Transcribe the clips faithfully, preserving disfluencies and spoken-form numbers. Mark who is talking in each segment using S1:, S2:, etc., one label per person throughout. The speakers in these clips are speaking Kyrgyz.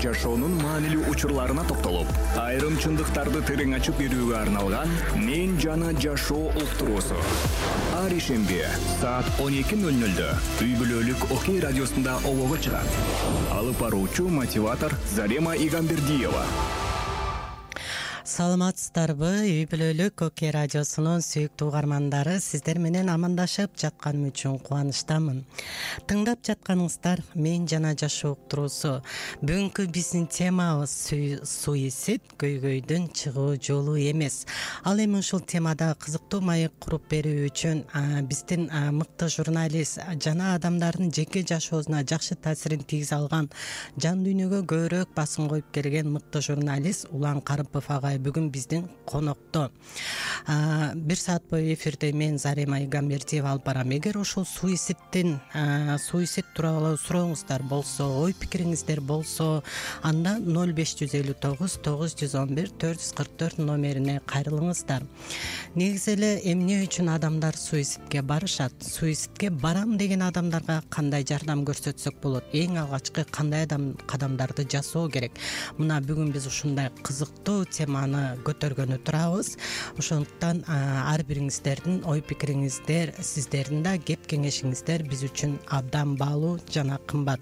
S1: жашоонун маанилүү учурларына токтолуп, айрым чындыктарды терең ачып берүүгө арналган «Мен жана жашоо» уктуруусу. Ар ишемби саат он эки ноль нольдө үй бүлөлүк Окей радиосунда обого чыгат. Алып баруучу мотиватор Зарема Игамбердиева.
S2: Саламатсыздарбы? Үй бүлөлүк Окей радиосунун сүйүктүү угармандары, сиздер менен амандашып жатканым үчүн кубанычтамын. Тыңдап жатканыңыздар «Мен жана жашоо» уктуруусу. Бүгүнкү биздин темабыз суицид, көйгөйдүн чыгуу жолу эмес. Ал эми ушул темада кызыктуу маек куруп берүү үчүн биздин мыкты журналист жана адамдардын жеке жашоосуна жакшы таасирин тийгизе алган, жан дүйнөгө көбүрөөк басым коюп келген мыкты журналист Улан Карыпов агай бүгүн биздин конокто. Бир саат бою эфирде мен Зарема Игамбердиева алып барам. Эгер ушул суицидтин суицид тууралуу сурооңуздар болсо, ой пикириңиздер болсо, анда ноль беш жүз элүү тогуз тогуз жүз он бир төрт жүз кырк төрт номерине кайрылыңыздар. Негизи эле эмне үчүн адамдар суицидке барышат? Суицидке барам деген адамдарга кандай жардам көрсөтсөк болот? Эң алгачкы кандай кадамдарды жасоо керек? Мына бүгүн биз ушундай кызыктуу теманы көтөргөнү турабыз. Ошондуктан ар бириңиздердин ой пикириңиздер, сиздердин да кеп кеңешиңиздер биз үчүн абдан баалуу жана кымбат.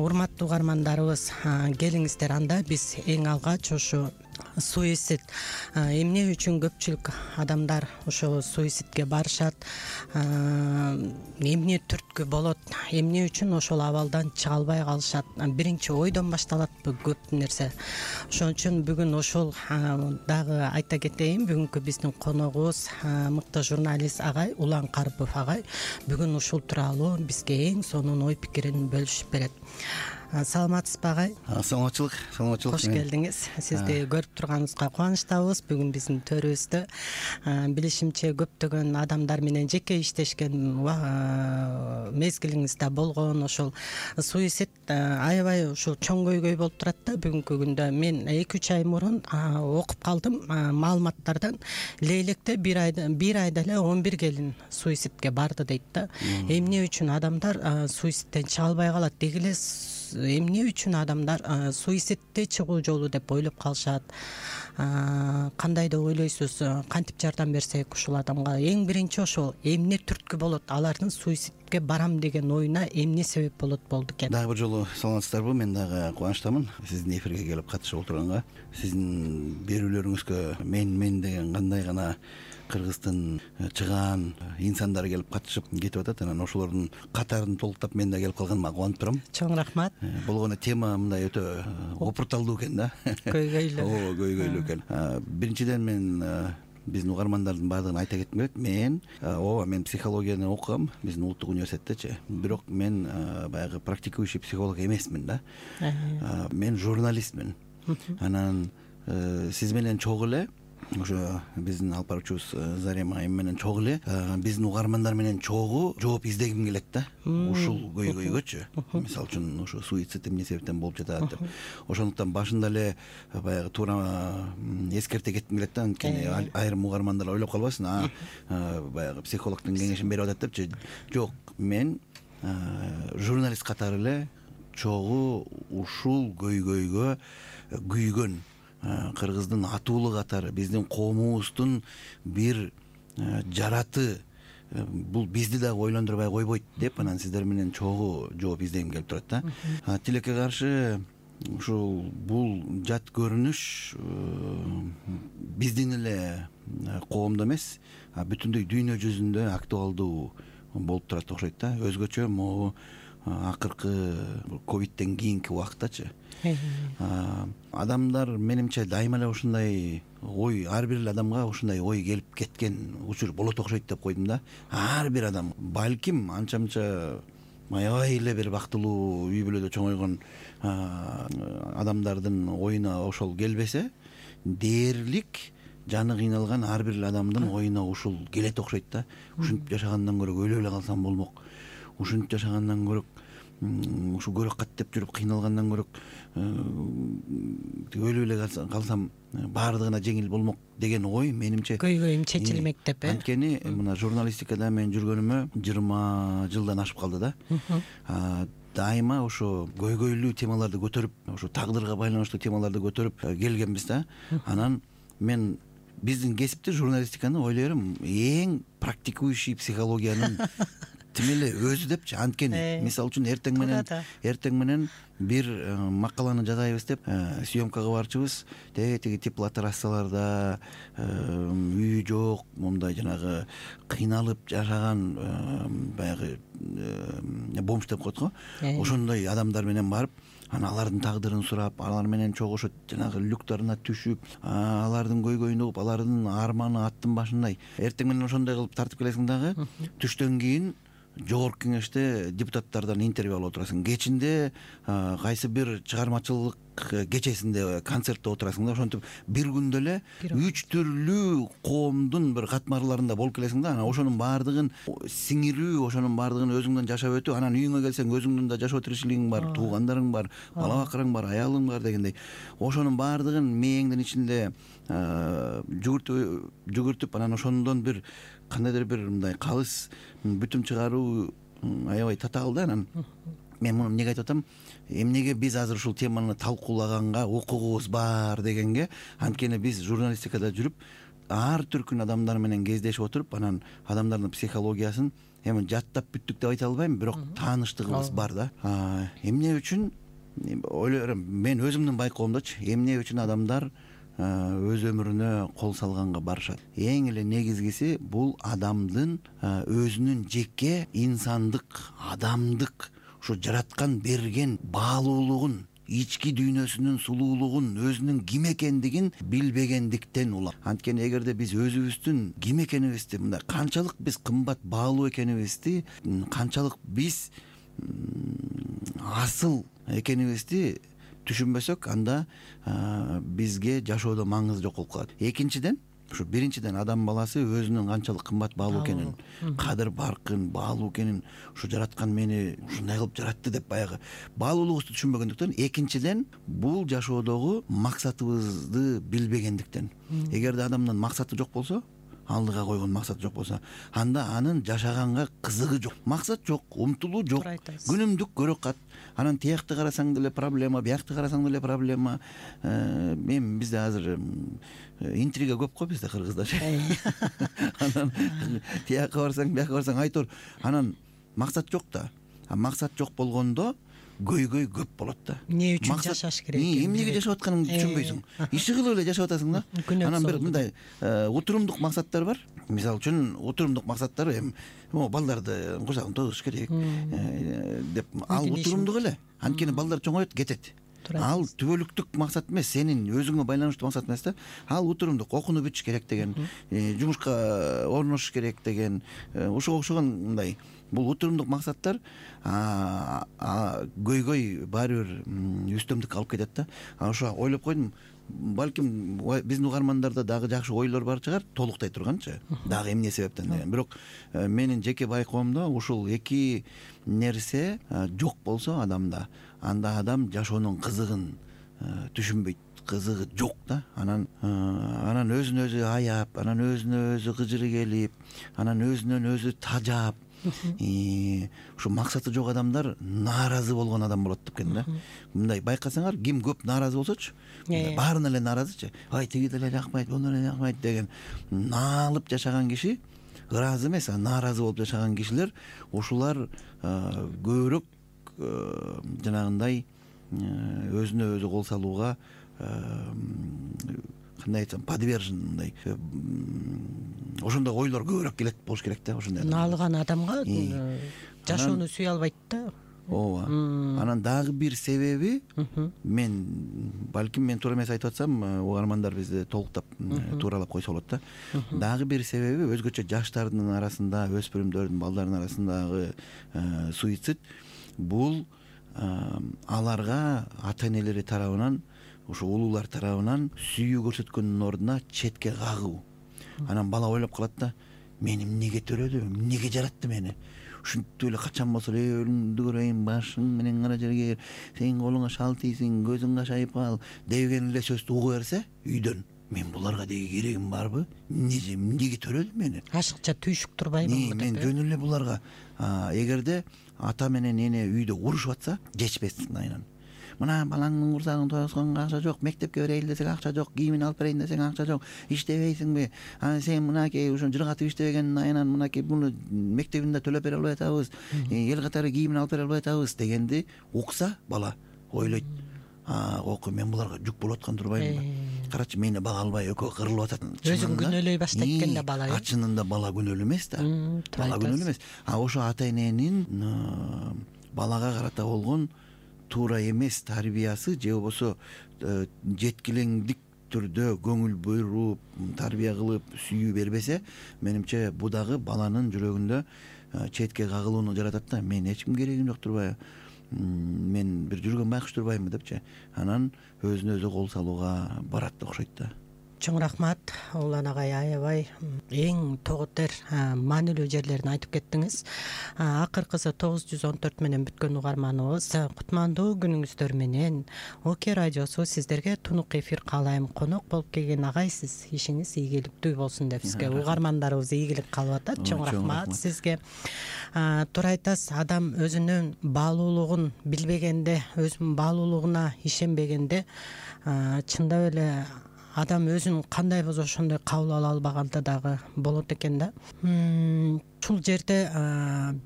S2: Урматтуу угармандарыбыз, келиңиздер, анда биз эң алгач ушу суицид эмне үчүн көпчүлүк адамдар ошо суицидке барышат, эмне түрткү болот, эмне үчүн ошол абалдан чыга албай калышат? Биринчи ойдон башталатпы көп нерсе. Ошон үчүн бүгүн ошол дагы айта кетейин, бүгүнкү биздин коногубуз мыкты журналист агай Улан Карыпов агай бүгүн ушул тууралуу бизге эң сонун ой пикирин бөлүшүп берет. Саламатсызбы агай?
S3: Саламатчылык, саламатчылык.
S2: Кош келдиңиз. Сизди көрүп турганыбызга кубанычтабыз. Бүгүн биздин төрүбүздө билишимче көптөгөн адамдар менен жеке иштешкен мезгилиңиз да болгон. Ошол суицид аябай ушул чоң көйгөй болуп турат да бүгүнкү күндө. Мен эки үч ай мурун окуп калдым маалыматтардан. Лейлекте бир айда бир айда эле он бир келин суицидке барды дейт да. Эмне үчүн адамдар суицидтен чыга албай калат? Деги эле эмне үчүн адамдар суицидте чыгуу жолу деп ойлоп калышат? Кандай деп ойлойсуз? Кантип жардам берсек ушул адамга? Эң биринчи ошол эмне түрткү болот? Алардын суицидке барам деген оюна эмне себеп болот болду экен?
S3: Дагы бир жолу саламатсыздарбы? Мен дагы кубанычтамын сиздин эфирге келип катышып отурганга. Сиздин берүүлөрүңүзгө мен мен деген кандай гана кыргыздын чыгаан инсандары келип катышып кетип атат. Анан ошолордун катарын толуктап мен да келип калганыма кубанып турам.
S2: Чоң рахмат.
S3: Болгону тема мындай өтө опурталдуу экен да.
S2: Көйгөйлүү.
S3: Ооба, көйгөйлүү экен. Биринчиден мен биздин угармандардын баардыгына айта кетким келет. Мен ооба мен психологияны окугам биздин улуттук университеттечи. Бирок мен баягы практикующий психолог эмесмин да. Мен журналистмин. Анан сиз менен чогуу эле ошо биздин алып баруучубуз Зарема эми менен чогуу эле биздин угармандар менен чогуу жооп издегим келет да. Ушул көйгөйгөчү. Мисалы үчүн ошо суицид эмне себептен болуп жатат деп. Ошондуктан башында эле баягы туура эскерте кетким келет да. Анткени айрым угармандар ойлоп калбасын, а баягы психологдун кеңешин берип атат депчи. Жок, мен журналист катары эле чогуу ушул көйгөйгө күйгөн кыргыздын атуулу катары биздин коомубуздун бир жараты, бул бизди дагы ойлондурбай койбойт деп анан сиздер менен чогуу жооп издегим келип турат да. Тилекке каршы ушул бул жат көрүнүш биздин эле коомдо эмес, бүтүндөй дүйнө жүзүндө актуалдуу болуп турат окшойт да. Өзгөчө могу акыркы ковидтен кийинки убактачы. Адамдар менимче дайыма эле ушундай ой, ар бир адамга ушундай ой келип кеткен учур болот окшойт деп койдум да. Ар бир адам балким анча-мынча аябай эле бир бактылуу үй бүлөдө чоңойгон адамдардын оюна ошол келбесе, дээрлик жаны кыйналган ар бир адамдын оюна ушул келет окшойт да. Ушинтип жашагандан көрө өлүп эле калсам болмок. Ушинтип жашагандан көрө ушу көрөк каттеп жүрүп кыйналгандан көрө өлүп эле калсам баардыгына жеңил болмок деген ой менимче
S2: көйгөйүм чечилмек деп.
S3: Анткени мына журналистикада мен жүргөнүмө жыйырма жылдан ашып калды да. дайыма ошо көйгөйлүү темаларды көтөрүп, ошо тагдырга байланыштуу темаларды көтөрүп келгенбиз да. Анан мен биздин кесипти, журналистиканы ойлойм эң практикующий психологиянын тим эле өзү депчи. Анткени мисалы үчүн эртең менен эртең менен бир макаланы жазайбыз деп съемкага барчыбыз. Тиги теплотрассаларда үй жок, мондай жанагы кыйналып жашаган баягы бомж деп коет го. Ошондой адамдар менен барып, анан алардын тагдырын сурап, алар менен чогушуп, жанагы люктарына түшүп, алардын көйгөйүн угуп, алардын арманы аттын башындай. Эртең менен ошондой кылып тартып келесиң дагы. Түштөн кийин жогорку кеңеште депутаттардан интервью алып отурасың. Кечинде кайсы бир чыгармачылык кечесинде концертте отурасың да. Ошентип бир күндө эле үч түрлүү коомдун бир катмарларында болуп келесиң да. Анан ошонун баардыгын сиңирүү, ошонун баардыгын өзүңдөн жашап өтүү. Анан үйүңө келсең өзүңдүн да жашоо тиричилигиң бар, туугандарың бар, бала бакырың бар, аялың бар дегендей. Ошонун баардыгын мээңдин ичинде жүгүртүп жүгүртүп анан ошондон бир кандайдыр бир мындай калыс бүтүм чыгаруу аябай татаал да. Анан мен муну эмнеге айтып атам? Эмнеге биз азыр ушул теманы талкуулаганга укугубуз бар дегенге. Анткени биз журналистикада жүрүп, ар түркүн адамдар менен кездешип отуруп, анан адамдардын психологиясын эми жаттап бүттүк деп айта албайм, бирок тааныштыгыбыз бар да. Эмне үчүн ойлойм, мен өзүмдүн байкоомдочу, эмне үчүн адамдар өз өмүрүнө кол салганга барышат? Эң эле негизгиси бул адамдын өзүнүн жеке инсандык, адамдык, ушу жараткан берген баалуулугун, ички дүйнөсүнүн сулуулугун, өзүнүн ким экендигин билбегендиктен улам. Анткени эгерде биз өзүбүздүн ким экенибизди, мындай канчалык биз кымбат баалуу экенибизди, канчалык биз асыл экенибизди түшүнбөсөк, анда бизге жашоодо маңызы жок болуп калат. Экинчиден, ушу биринчиден адам баласы өзүнүн канчалык кымбат баалуу экенин, кадыр баркын, баалуу экенин, ушу жараткан мени ушундай кылып жаратты деп баягы баалуулугубузду түшүнбөгөндүктөн. Экинчиден, бул жашоодогу максатыбызды билбегендиктен. Эгерде адамдын максаты жок болсо, алдыга койгон максат жок болсо, анда анын жашаганга кызыгы жок. Максат жок, умтулуу жок, күнүмдүк көрө кат. Анан тиякты карасаң деле проблема, биякты карасаң деле проблема. Мен бизде азыр интрига көп го, бизде кыргызда. Анан тияка барсаң, бияка барсаң айтор. Анан максат жок да. Максат жок болгондо көйгөй көп болот да.
S2: Эмне үчүн жашаш керек?
S3: Эмнеге жашап атканыңды түшүнбөйсүң. Иши кылып эле жашап атасың да. Анан бир мындай утурумдук максаттар бар. Мисалы үчүн утурумдук максаттар эми балдарды курсагын тойгузуш керек деп, ал утурумдук эле. Анткени балдар чоңойот, кетет. Ал түбөлүктүк максат эмес, сенин өзүңө байланыштуу максат эмес да. Ал утурумдук, окууну бүтүш керек деген, жумушка орношуш керек деген, ошого окшогон мындай бул утурумдук максаттар көйгөй баары бир үстөмдүк алып кетет да. Ошо ойлоп койдум, балким биздин угармандарда дагы жакшы ойлор бар чыгар, толуктай турганчы, дагы эмне себептен деген. Бирок менин жеке байкоомдо ушул эки нерсе жок болсо адамда, анда адам жашоонун кызыгын түшүнбөйт, кызыгы жок да. Анан анан өзүн өзү аяп, анан өзүнө өзү кыжыры келип, анан өзүнөн өзү тажап, ушу максаты жок адамдар нааразы болгон адам болот деп экен да. Мындай байкасаңар, ким көп нааразы болсочу, баарына эле нааразычы. Ай, тиги деле жакпайт, буну эле жакпайт деген наалып жашаган киши, ыраазы эмес, нааразы болуп жашаган кишилер, ушулар көбүрөөк жанагындай өзүнө өзү кол салууга, кандай айтсам, подвержен, мындай ошондой ойлор көбүрөөк келет болуш керек да. Ошондой
S2: наалган адамга жашоону сүйө албайт да.
S3: Ооба. Анан дагы бир себеби, мен балким мен туура эмес айтып атсам, угармандар бизди толуктап тууралап койсо болот да. Дагы бир себеби, өзгөчө жаштардын арасында, өспүрүмдөрдүн, балдардын арасындагы суицид, бул аларга ата-энелери тарабынан, ошо улуулар тарабынан сүйүү көрсөткөндүн ордуна четке кагуу. Анан бала ойлоп калат да, мени эмнеге төрөдү, эмнеге жаратты мени? Ушинтип эле качан болсо эле өлүмдү көрөйүн, башың менен кара жерге, сенин колуңа шал тийсин, көзүң кашайып кал деген эле сөздү угу берсе үйдөн, мен буларга деги керегим барбы? Эмнеге төрөдү мени?
S2: Ашыкча түйшүк турбайбы?
S3: Мен жөн эле буларга. Эгерде ата менен эне үйдө урушуп атса жечпес айынан. Мына балаңдын курсагын тоюсканга акча жок, мектепке берейин десең акча жок, кийимин алып берейин десең акча жок, иштебейсиңби? А сен мынакей ошо жыргатып иштебегендин айынан мынакей буну мектебин да төлөп бере албай атабыз, эл катары кийимин алып бере албай атабыз дегенди укса бала ойлойт. А окуй, мен буларга жүк болуп аткан турбаймынбы? Карачы, мени бага албай экөө кырылып атат.
S2: Өзүн күнөөлөй баштайт экен да бала.
S3: А чынында бала күнөөлүү эмес да. Бала күнөөлүү эмес. А ошо ата эненин балага карата болгон туура эмес тарбиясы же болбосо жеткилеңдик түрдө көңүл буруп, тарбия кылып, сүйүү бербесе, менимче бу дагы баланын жүрөгүндө четке кагылууну жаратат да. Мен эч ким керегим жок турбайбы? Мен бир жүргөн байкуш турбаймынбы депчи. Анан өзүнө өзү кол салууга барат да окшойт да.
S2: Чоң рахмат Улан агай, аябай эң тогутер маанилүү жерлерин айтып кеттиңиз. Акыркысы тогуз жүз он төрт менен бүткөн угарманыбыз кутмандуу күнүңүздөр менен ОК радиосу сиздерге тунук эфир каалайм. Конок болуп келген агай, сиз ишиңиз ийгиликтүү болсун деп сизге, угармандарыбыз ийгилик калып атат. Чоң рахмат сизге. Туура айтасыз, адам өзүнүн баалуулугун билбегенде, өзүнүн баалуулугуна ишенбегенде чындап эле адам өзүн кандай болсо ошондой кабыл ала албаганда дагы болот экен да. Ушул жерде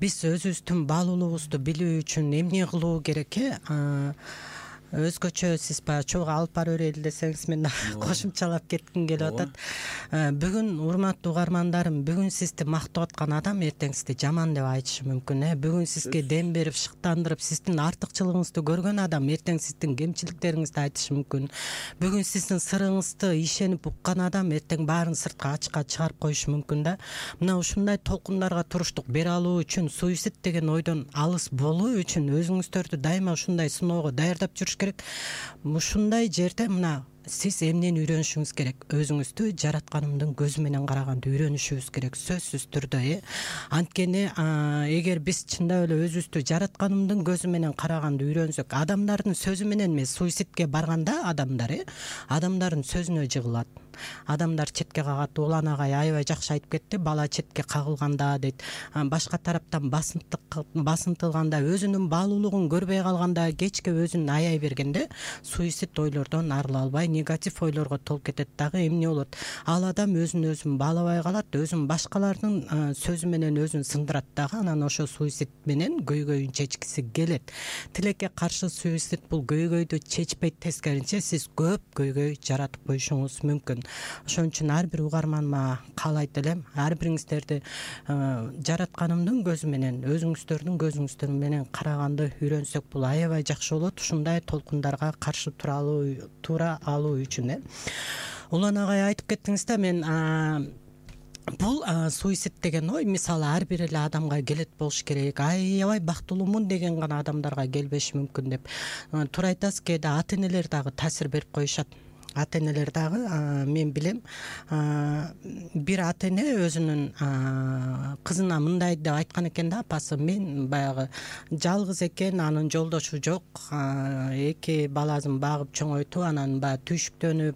S2: биз өзүбүздүн баалуулугубузду билүү үчүн эмне кылуу керек? Өзгөчө сиз баягы чогуу алып бара берели десеңиз, мен кошумчалап кетким келип атат. Бүгүн урматтуу угармандарым, бүгүн сизди мактап аткан адам эртең сизди жаман деп айтышы мүмкүн. Бүгүн сизге дем берип, шыктандырып, сиздин артыкчылыгыңызды көргөн адам эртең сиздин кемчиликтериңизди айтышы мүмкүн. Бүгүн сиздин сырыңызды ишенип уккан адам эртең баарын сыртка ачыкка чыгарып коюшу мүмкүн да. Мына ушундай толкундарга туруштук бере алуу үчүн, суицид деген ойдон алыс болуу үчүн өзүңүздөрдү дайыма ушундай сыноого даярдап жүрүш керек. Ушундай жерде мына сиз эмнени үйрөнүшүңүз керек? Өзүңүздү жаратканымдын көзү менен караганды үйрөнүшүбүз керек, сөзсүз түрдө. Анткени эгер биз чындап эле өзүбүздү жаратканымдын көзү менен караганды үйрөнсөк, адамдардын сөзү менен эмес, суицидке барганда адамдар адамдардын сөзүнө жыгылат. Адамдар четке кагат. Улан агай аябай жакшы айтып кетти. Бала четке кагылганда дейт, башка тараптан басынтылганда, өзүнүн баалуулугун көрбөй калганда, кечке өзүн аяй бергенде суицид ойлордон арыла албай негатив ойлорго толуп кетет. Дагы эмне болот? Ал адам өзүн өзүн баалабай калат, өзүн башкалардын сөзү менен өзүн сындырат дагы. Анан ошо суицид менен көйгөйүн чечкиси келет. Тилекке каршы суицид бул көйгөйдү чечпейт, тескерисинче сиз көп көйгөй жаратып коюшуңуз мүмкүн. Ошон үчүн ар бир угарманыма каалайт элем, ар бириңиздерди жаратканымдын көзү менен, өзүңүздөрдүн көзүңүздөр менен караганды үйрөнсөк, бул аябай жакшы болот. Ушундай толкундарга каршы тура алуу туура алуу үчүн. Улан агай айтып кеттиңиз да, мен бул суицид деген ой мисалы ар бир эле адамга келет болуш керек. Аябай бактылуумун деген гана адамдарга келбеши мүмкүн деп. Туура айтасыз, кээде ата энелер дагы таасир берип коюшат. Ата энелер дагы, мен билем, бир ата эне өзүнүн кызына мындай деп айткан экен да, апасы, мен баягы жалгыз экен, анын жолдошу жок, эки баласын багып чоңойтуп, анан баягы түйшүктөнүп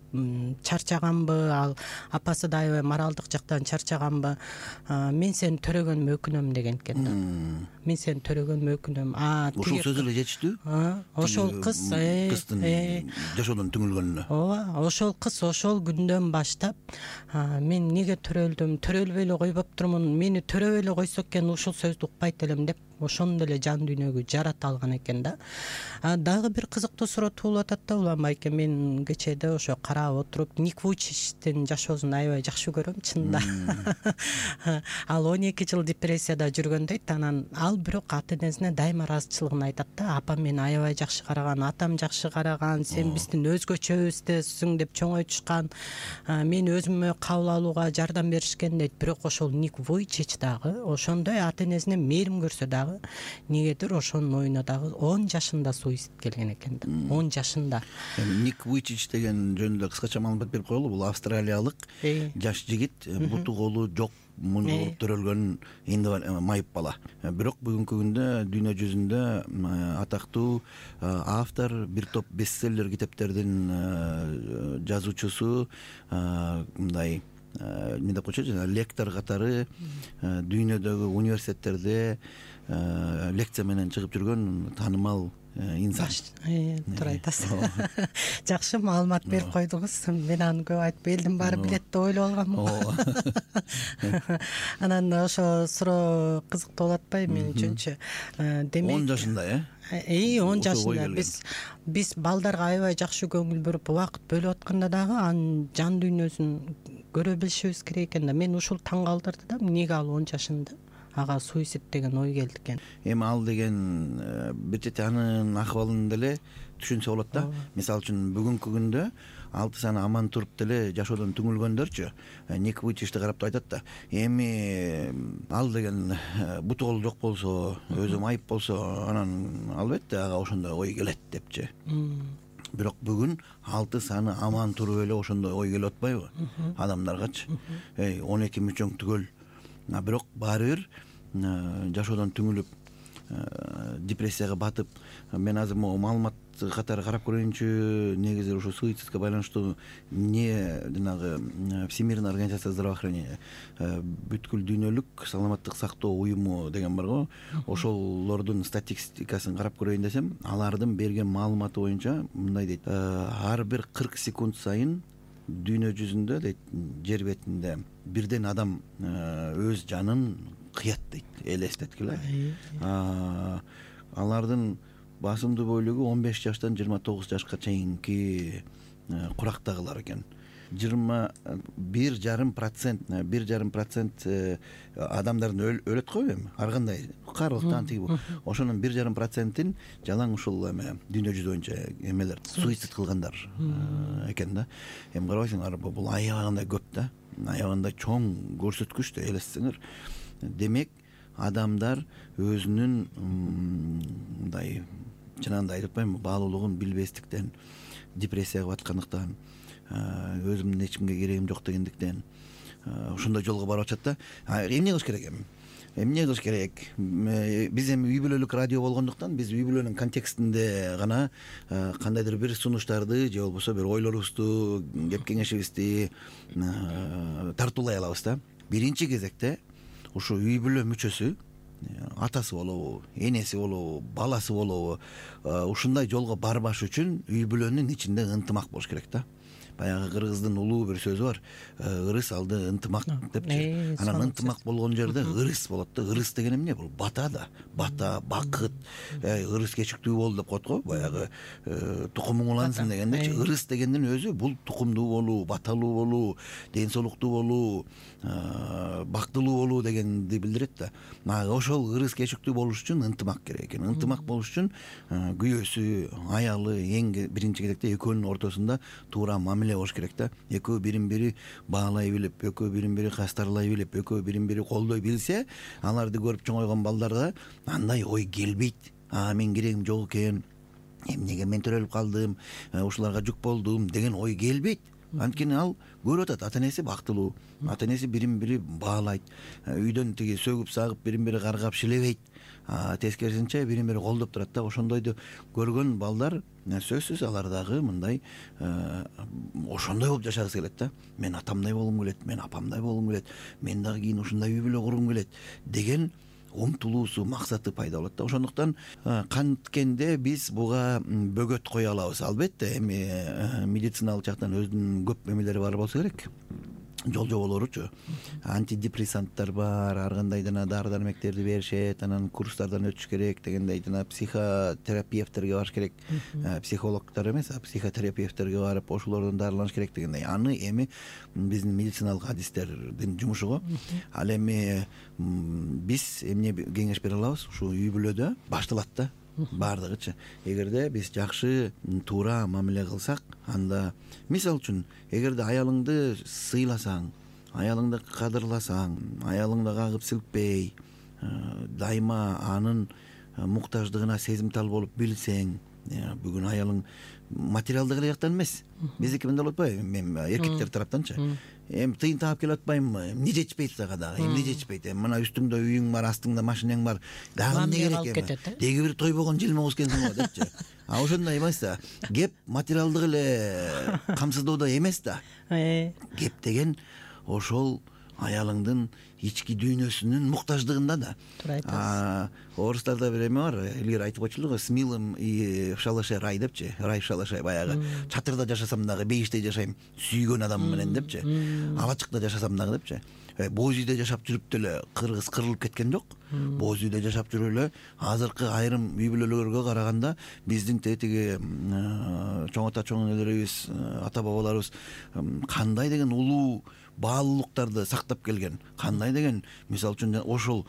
S2: чарчаганбы, ал апасы да аябай моралдык жактан чарчаганбы, мен сени төрөгөнүмө өкүнөм деген экен да. Мен сени төрөгөнүмө өкүнөм.
S3: Ошол сөзү эле жетиштүү.
S2: Ошол кыз
S3: кыздын жашоодон түңүлгөнүнө.
S2: Ооба, ошол кыз ошол күндөн баштап мен эмнеге төрөлдүм, төрөлбөй эле койбоптурмун, мени төрөбөй эле койсо экен ушул сөздү укпайт элем деп ошондой эле жан дүйнөгү жарата алган экен да. Дагы бир кызыктуу суроо туулуп атат да, Улан байке. Мен кечээде ошо карап отуруп, Ник Вуйчичтин жашоосун аябай жакшы көрөм, чынында. Ал он эки жыл депрессияда жүргөн дейт. Анан ал бирок ата энесине дайыма ыраазычылыгын айтат да. Апам мени аябай жакшы караган, атам жакшы караган, сен биздин өзгөчөбүздүсүң деп чоңойтушкан, мени өзүмө кабыл алууга жардам беришкен дейт. Бирок ошол Ник Вуйчич дагы ошондой ата энесине мээрим көрсө дагы негедир ошонун оюна дагы он жашында суицид келген экен да. он жашында.
S3: Ник Вуйчич деген жөнүндө кыскача маалымат берип коелу. Бул австралиялык жаш жигит, буту колу жок, муну болуп төрөлгөн майып бала. Бирок бүгүнкү күндө дүйнө жүзүндө атактуу автор, бир топ бестселлер китептердин жазуучусу, мындай эмне деп коечу жана лектор катары дүйнөдөгү университеттерде лекция менен чыгып жүргөн таанымал инсан.
S2: Туура айтасыз. Жакшы маалымат берип койдуңуз. Мен аны көп айтып элдин баары билет деп ойлоп алганмын. Анан ошо суроо кызыктуу болуп атпайбы мен үчүнчү? Демек
S3: он жашында э?
S2: Э, он жашында биз биз балдарга аябай жакшы көңүл бөлүп убакыт бөлүп атканда дагы анын жан дүйнөсүн көрө билишибиз керек экен да. Мен ушул таң калтырды да, эмнеге ал он жашында ага суицид деген ой келди экен.
S3: Эми ал деген бир чети анын акыбалын деле түшүнсө болот да. Мисалы үчүн бүгүнкү күндө алты саны аман туруп деле жашоодон түңүлгөндөрчү Ник Вуйчичти карап айтат да, эми ал деген буту колу жок болсо, өзүм айып болсо, анан албетте ага ошондой ой келет депчи. Бирок бүгүн алты саны аман туруп эле ошондой ой келип атпайбы адамдаргачы? Эй, он эки мүчөң түгөл. Бирок баары бир жашоодон түңүлүп, депрессияга батып, мен азыр могу маалымат катары карап көрөйүнчү, негизи ушу суицидке байланыштуу не жанагы Всемирная организация здравоохранения, бүткүл дүйнөлүк саламаттык сактоо уюму деген бар го, ошолордун статистикасын карап көрөйүн десем, алардын берген маалыматы боюнча мындай дейт: ар бир кырк секунд сайын дүйнө жүзүндө дейт, жер бетинде бирден адам өз жанын кыят дейт, элестеткиле. Алардын басымдуу бөлүгү он беш жаштан жыйырма тогуз жашка чейинки курактагылар экен. жыйырма бир жарым процент бир жарым процент адамдардын өлөт го эми, ар кандай карылыктан тиги бул. Ошонун бир жарым процентин жалаң ушул эме дүйнө жүзү боюнча эмелер суицид кылгандар экен да. Эми карабайсыңар, бул аябагандай көп да, аябагандай чоң көрсөткүч да, элестесеңер. Демек адамдар өзүнүн мындай жанагындай айтып атпаймынбы, баалуулугун билбестиктен, депрессияга баткандыктан, өзүмдүн эчимге керегим жок дегендиктен ошондой жолго барып атышат да. Эмне кылыш керек эми? Эмне кылыш керек? Биз эми үй бүлөлүк радио болгондуктан биз үй бүлөнүн контекстинде гана кандайдыр бир сунуштарды же болбосо бир ойлорубузду, кеп кеңешибизди тартуулай алабыз да. Биринчи кезекте ушу үй бүлө мүчөсү, атасы болобу, энеси болобу, баласы болобу, ушундай жолго барбаш үчүн үй бүлөнүн ичинде ынтымак болуш керек да. Баягы кыргыздын улуу бир сөзү бар, ырыс алды ынтымак депчи. Анан ынтымак болгон жерде ырыс болот да. Ырыс деген эмне? Бул бата да. Бата, бакыт, ырыс кечиктүү бол деп коет го, баягы тукумуң улансын дегендечи. Ырыс дегендин өзү бул тукумдуу болуу, баталуу болуу, ден соолуктуу болуу, бактылуу болуу дегенди билдирет да. Ошол ырыс кечиктүү болуш үчүн ынтымак керек экен. Ынтымак болуш үчүн күйөөсү, аялы эң биринчи кезекте экөөнүн ортосунда туура мамиле болуш керек да. Экөө бирин бири баалай билип, экөө бирин бири кастарлай билип, экөө бирин бири колдой билсе, аларды көрүп чоңойгон балдарга андай ой келбейт. А мен керегим жок экен, эмнеге мен төрөлүп калдым, ушуларга жүк болдум деген ой келбейт. Анткени ал көрүп атат, ата энеси бактылуу, ата энеси бирин бири баалайт, үйдөн тиги сөгүп сагып бирин бири каргап шилебейт, тескерисинче бирин бири колдоп турат да. Ошондойду көргөн балдар сөзсүз алар дагы мындай ошондой болуп жашагысы келет да. Мен атамдай болгум келет, мен апамдай болгум келет, мен дагы кийин ушундай үй бүлө кургум келет деген умтулуусу, максаты пайда болот да. Ошондуктан канткенде биз буга бөгөт кое алабыз. Албетте эми медициналык жактан өзүнүн көп эмелери бар болсо керек, жол жоболоручу. Антидепрессанттар бар, ар кандай жана дары дармектерди беришет, анан курстардан өтүш керек дегендей, жана психотерапевттерге барыш керек, психологдор эмес, а психотерапевттерге барып ошолордон дарыланыш керек дегендей. Аны эми биздин медициналык адистердин жумушу го. Ал эми биз эмне кеңеш бере алабыз? Ушу үй бүлөдө башталат да. Бардыгычы. Эгерде биз жакшы, туура мамиле кылсак, анда мисалы үчүн, эгерде аялыңды сыйласаң, аялыңды кадырласаң, аялыңды кагып силкпей, дайыма анын муктаждыгына сезимтал болуп билсең, бүгүн аялың материалдык эле жактан эмес, биздики мындай болуп атпайбы, мен эркектер тараптанчы. Эми тыйын таап келип атпаймынбы? Эмне жетишпейт сага дагы? Эмне жетишпейт? Мына үстүңдө үйүң бар, астыңда машинең бар. Дагы эмне керек эми? Деги бир тойбогон жылмоңуз экенсиң го депчи. А ошондой эмес да. Кеп материалдык эле камсыздоодо эмес да. Кеп деген ошол аялыңдын ички дүйнөсүнүн муктаждыгында да.
S2: Туура айтасыз.
S3: Орустарда бир эме бар, илгери айтып койчулду го, с милым и в шалаше рай депчи. Рай в шалаше, баягы чатырда жашасам дагы бейиште жашайм сүйгөн адам менен депчи. Алачыкта жашасам дагы депчи. Боз үйдө жашап жүрүп деле кыргыз кырылып кеткен жок. Боз үйдө жашап жүрүп эле азыркы айрым үй бүлөлөргө караганда биздин тетиги чоң ата чоң энелерибиз, ата бабаларыбыз кандай деген улуу баалуулуктарды сактап келген, кандай деген, мисалы үчүн ошол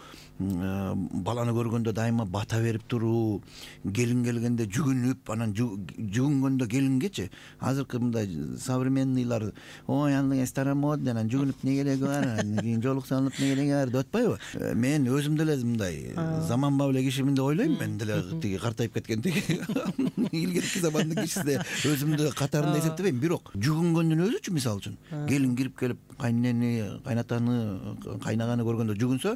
S3: баланы көргөндө дайыма бата берип туруу, келин келгенде жүгүнүп, анан жүгүнгөндө келингечи азыркы мындай современныйлар ой аны старомодный, анан жүгүнүп эмне кереги бар, кийин жолук салынып эмне кереги бар деп атпайбы? Мен өзүм деле мындай заманбап эле кишимин деп ойлойм. Мен деле тиги картайып кеткен тиги илгерки замандын кишиси өзүмдү катарында эсептебейм. Бирок жүгүнгөндүн өзүчү, мисалы үчүн келин кирип келип кайнени, кайнатаны, кайнаганы көргөндө жүгүнсө,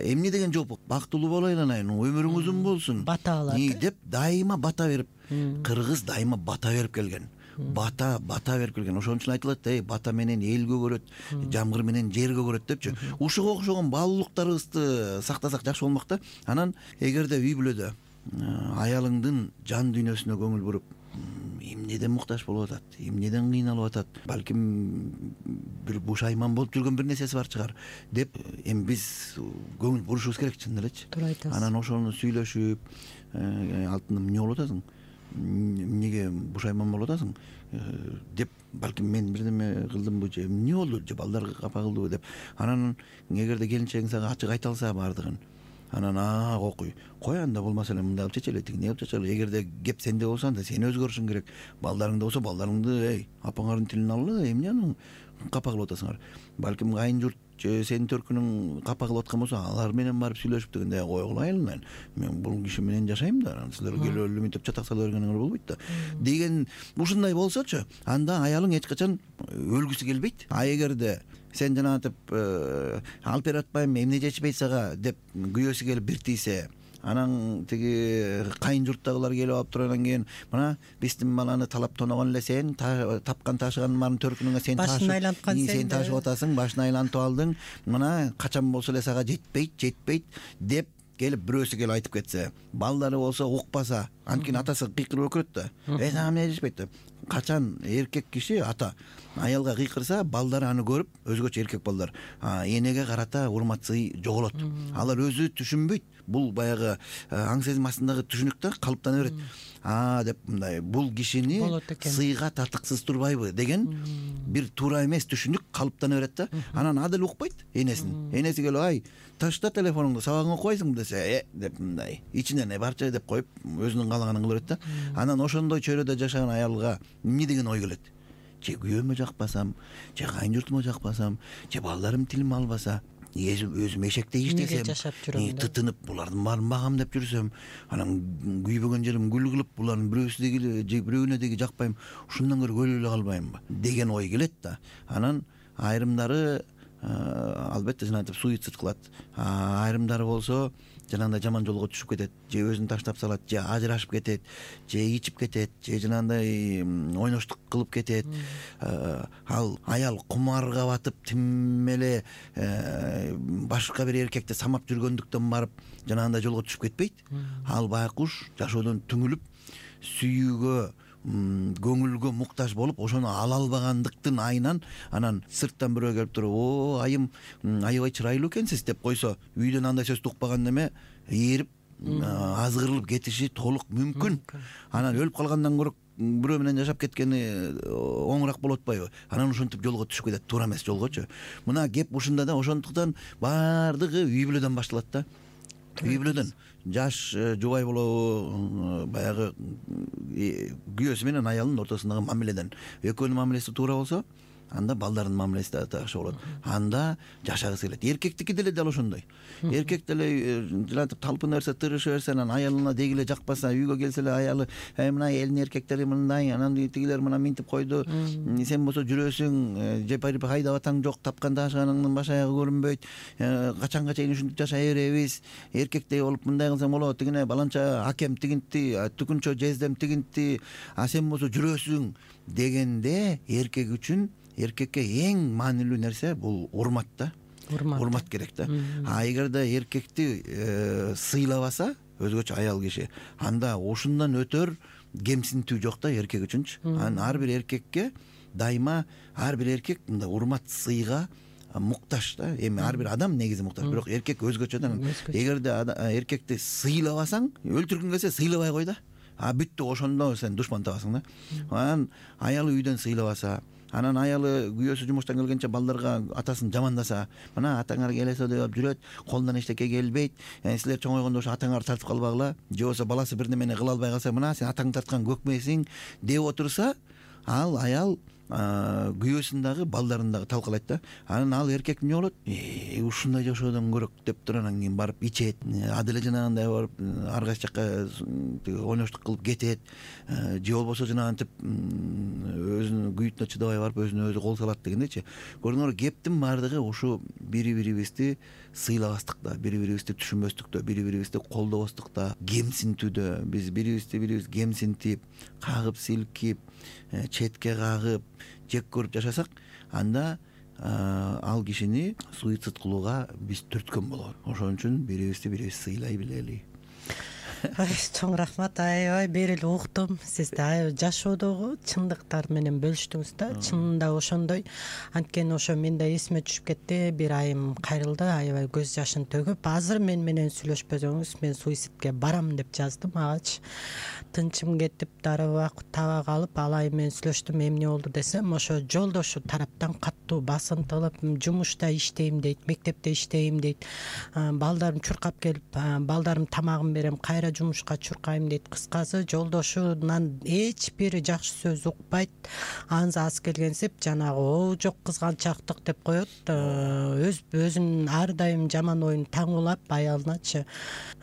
S3: эмне деген жооп, бактылуу боло айланайын, өмүрүң узун болсун,
S2: бата алат
S3: деп дайыма бата берип, кыргыз дайыма бата берип келген. Бата, бата берип келген. Ошон үчүн айтылат, эй, бата менен эл көгөрөт, жамгыр менен жер көгөрөт депчи. Ушуга окшогон баалуулуктарыбызды сактасак жакшы болмок да. Анан эгерде үй бүлөдө аялыңдын жан дүйнөсүнө көңүл буруп, эмнеден муктаж болуп атат, эмнеден кыйналып атат, балким бир бушайман болуп жүргөн бир нерсеси бар чыгар деп эми биз көңүл бурушубуз керек, чын элечи.
S2: Туура айтасыз.
S3: Анан ошону сүйлөшүп, алтыным эмне болуп атасың, эмнеге бушайман болуп атасың деп, балким мен бирдеме кылдымбы же эмне болду же балдар капа кылдыбы деп, анан эгерде келинчегиң сага ачык айта алса баардыгын, анан а окуй, кой анда болмаса эле мындай кылып чечели, тигине кылып чечели. Эгерде кеп сенде болсо анда сен өзгөрүшүң керек. Балдарыңда болсо балдарыңды, эй, апаңардын тилин алгыла, эмне аны капа кылып атасыңар. Балким кайын журт же сенин төркүнүң капа кылып аткан болсо, алар менен барып сүйлөшүп дегенде, койгула айылынан, мен бул киши менен жашайм да, силер келип эле мынтип чатак сала бергениңер болбойт да деген, ушундай болсочу, анда аялың эч качан өлгүсү келбейт. А эгерде сен жанагынтип алып берип атпайм, эмне жетишпейт сага деп күйөөсү келип бир тийсе, анан тиги кайын журттагылар келип алып туруп, кийин мына биздин баланы талап тоногон эле сен, тапкан ташыган баарын төркүнүңө сен
S2: башын айланткан сен
S3: сен ташып атасың, башын айлантып алдың, мына качан болсо эле сага жетпейт, жетпейт деп келип бирөөсү келип айтып кетсе, балдары болсо укпаса, анткени атасы кыйкырып өкүрөт да, э сага эмне жетишпейт деп. Качан эркек киши, ата аялга кыйкырса, балдары аны көрүп, өзгөчө эркек балдар энеге карата урматсый жоголот. Алар өзү түшүнбөйт. Бул баягы аң сезим астындагы түшүнүк да калыптана берет. А деп мындай, бул кишини сыйга татыксыз турбайбы деген бир туура эмес түшүнүк калыптана берет да. Анан адыл укпайт энесин. Энеси келип, ай, ташта телефонуңду, сабагыңа окубайсыңбы десе, э деп мындай ичинен барча деп коюп, өзүнүн каалаганын кыла берет да. Анан ошондой чөйрөдө жашаган аялга эмне деген ой келет? Же күйөөмө жакпасам, же кайын журтума жакпасам, же балдарым тилим албаса, өзүм эшектей иштесем, тытынып булардын баарын багам деп жүрсөм, анан күйбөгөн жерим гүл кылып, булардын бирөөсү деги же бирөөнө деги жакпайм, ушундан көрө өлө эле калбаймбы деген ой келет да. Анан айрымдары албетте жанагынтип суицид кылат, айрымдары болсо жанагындай жаман жолго түшүп кетет, же өзүн таштап салат, же ажырашып кетет, же ичип кетет, же жанагындай ойноштук кылып кетет. Ал аял кумарга батып, тим эле башка бир эркекти самап жүргөндүктөн барып жанагындай жолго түшүп кетпейт. Ал байкуш жашоодон түңүлүп, сүйүүгө, көңүлгө муктаж болуп, ошону ала албагандыктын айынан анан сырттан бирөө келип туруп, о айым, аябай чырайлуу экенсиз деп койсо, үйдөн андай сөздү укпаган неме ээрип, азгырылып кетиши толук мүмкүн. Анан өлүп калгандан көрө бирөө менен жашап кеткени оңураак болуп атпайбы? Анан ошентип жолго түшүп кетет, туура эмес жолгочу. Мына кеп ушунда да, ошондуктан баардыгы үй бүлөдөн башталат да. Үй бүлөдөн жаш жубай болобу, баягы күйөөсү менен аялынын ортосундагы мамиледен. Экөөнүн мамилеси туура болсо, анда балдардын мамилеси да жакшы болот. Анда жашагысы келет. Эркектики деле дал ошондой. Эркек деле жанагынтип талпына берсе, тырыша берсе, анан аялына деги эле жакпаса, үйгө келсе эле аялы, ай мына элдин эркектери мындай, анан тигилер мына минтип койду, сен болсо жүрөсүң, же барып хайдап атаң жок, тапкан ташыганыңдын баш аягы көрүнбөйт, качанга чейин ушинтип жашай беребиз, эркектей болуп мындай кылсаң болот, тигине баланча акем тигинти, түкүнчө жездем тигинти, а сен болсо жүрөсүң дегенде эркек үчүн эркекке эң маанилүү нерсе бул урмат да. урмат урмат керек да. А эгерде эркекти сыйлабаса өзгөчө аял киши, анда ушундан өтөр кемсинтүү жок да эркек үчүнчү. Анан ар бир эркекке дайыма ар бир эркек мындай урмат сыйга муктаж да. Эми ар бир адам негизи муктаж, бирок эркек өзгөчө да. Эгерде эркекти сыйлабасаң, өлтүргүң келсе сыйлабай кой да. А бүттү, ошондо сен душман табасың да. Анан аялы үйдөн сыйлабаса, анан аялы күйөөсү жумуштан келгенче балдарга атасын жамандаса, мына атаңар келесе деп жүрөт, колунан эчтеке келбейт, силер чоңойгондо ошо атаңарды тартып калбагыла, же болбосо баласы бир немени кыла албай калса, мына сен атаң тарткан көкмейсиң деп отурса, ал аял күйөөсүн дагы балдарын дагы талкалайт да. Анан ал эркек эмне болот? Э, ушундай жашоодон көрөк деп туруп анан кийин барып ичет, адиле жанагындай барып ар кайсы жакка ойноштук кылып кетет, же болбосо жанагынтип өзүнүн күйүтүнө чыдабай барып өзүнө өзү кол салат дегендейчи. Көрдүңөрбү, кептин баардыгы ушу бири-бирибизди сыйлабастыкта, бири-бирибизди түшүнбөстүктө, бири-бирибизди колдобостукта, кемсинтүүдө. Биз бирибизди бирибиз кемсинтип, кагып силкип, четке кагып, жек көрүп жашасак, анда ал кишини суицид кылууга биз түрткөн болобуз. Ошон үчүн бирибизди бирибиз сыйлай билели.
S2: Чоң рахмат. Аябай берили уктум. Сиз да жашоодогу чындыктар менен бөлүштүңүз да. Чынында ошондой. Анткени ошо мен да эсиме түшүп кетти. Бир айым кайрылды, аябай көз жашын төгүп, азыр мен менен сүйлөшпөсөңүз мен суицидке барам деп жаздым агачы. Тынчым кетип, дарыба таба калып, ал айым менен сүйлөштүм. Эмне болду десем, ошо жолдошу тараптан каттуу басынтылып, жумушта иштейм дейт, мектепте иштейм дейт. Балдарым чуркап келип, балдарым тамагын берем, кайра жумушка чуркайм дейт. Кыскасы, жолдошунан эч бир жакшы сөз укпайт. Анысы аз келгенсип жанагы о жок кызганчактык деп коет. Өз өзүнүн ар дайым жаман оюн таңуулап аялыначы.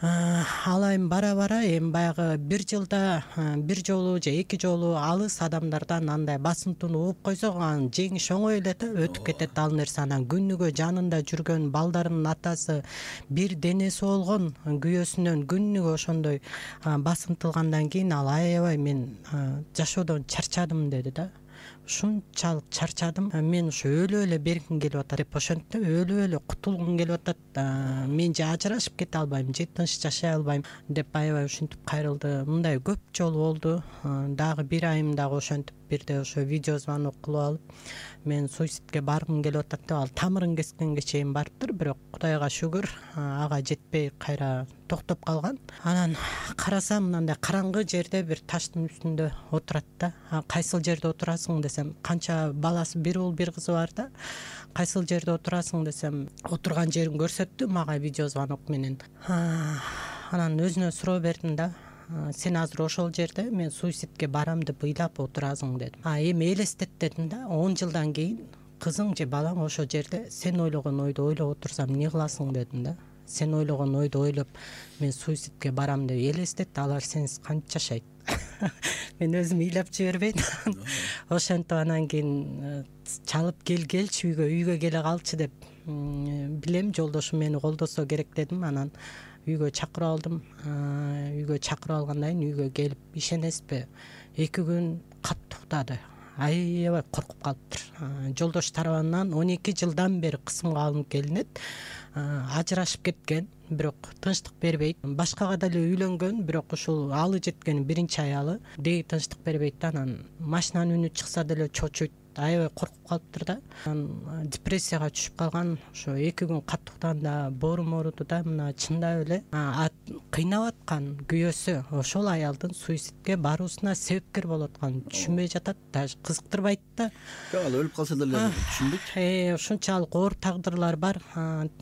S2: Ал айым бара-бара эми баягы бир жылда бир жолу же эки жолу алыс адамдардан андай басынтууну угуп койсок, анан жеңиш оңой эле да, өтүп кетет ал нерсе. Анан күнүгө жанында жүргөн балдарынын атасы бир денеси болгон күйөөсүнөн күнүгө ошондой басынтылгандан кийин ал аябай мен жашоодон чарчадым деди да. Ушунчалык чарчадым, мен ушу өлүп эле бергим келип атат деп ошентти. Өлүп эле кутулгум келип атат, мен же ажырашып кете албайм, же тынч жашай албайм деп аябай ушинтип кайрылды. Мындай көп жолу болду. Дагы бир айым дагы ошентип бирде ошо видео звонок кылып алып, мен суицидке баргым келип атат деп, ал тамырын кескенге чейин барыптыр, бирок Кудайга шүгүр ага жетпей кайра токтоп калган. Анан карасам, мындай караңгы жерде бир таштын үстүндө отурат да. Кайсыл жерде отурасың десем, канча баласы, бир уул бир кызы бар да. Кайсыл жерде отурасың десем, отурган жерин көрсөттү мага видео звонок менен. Анан өзүнө суроо бердим да. Сен азыр ошол жерде мен суицидке барам деп ыйлап отурасың дедим. А эми элестет дедим да. он жылдан кийин кызың же балаң ошол жерде сен ойлогон ойду ойлоп отурсам эмне кыласың дедим да. Сен ойлогон ойду ойлоп мен суицидке барам деп элестет, алар сенсиз кантип жашайт? Мен өзүм ыйлап жибербейт. Ошентип анан кийин чалып кел келчи үйгө, үйгө келе калчы деп билем, жолдошум мени колдосо керек дедим. Анан үйгө чакырып алдым. Үйгө чакырып алгандан кийин үйгө келип, ишенесизби, эки күн катты уктады. Аябай коркуп калыптыр. Жолдош тарабынан он эки жылдан бери кысымга алынып келинет. Ажырашып кеткен, бирок тынчтык бербейт. Башкага деле үйлөнгөн, бирок ушул алы жеткен биринчи аялы деги тынчтык бербейт. Анан машинанын үнү чыкса деле чочуйт. Аябай коркуп калыптыр да. Анан депрессияга түшүп калган. Ошо эки күн катты уктаганда боорум ооруду да. Мына чындап эле кыйнап аткан күйөөсү ошол аялдын суицидке баруусуна себепкер болуп атканын түшүнбөй жатат, даже кызыктырбайт да.
S3: Жок, ал өлүп калса деле түшүнбөйт.
S2: Э, ушунчалык оор тагдырлар бар.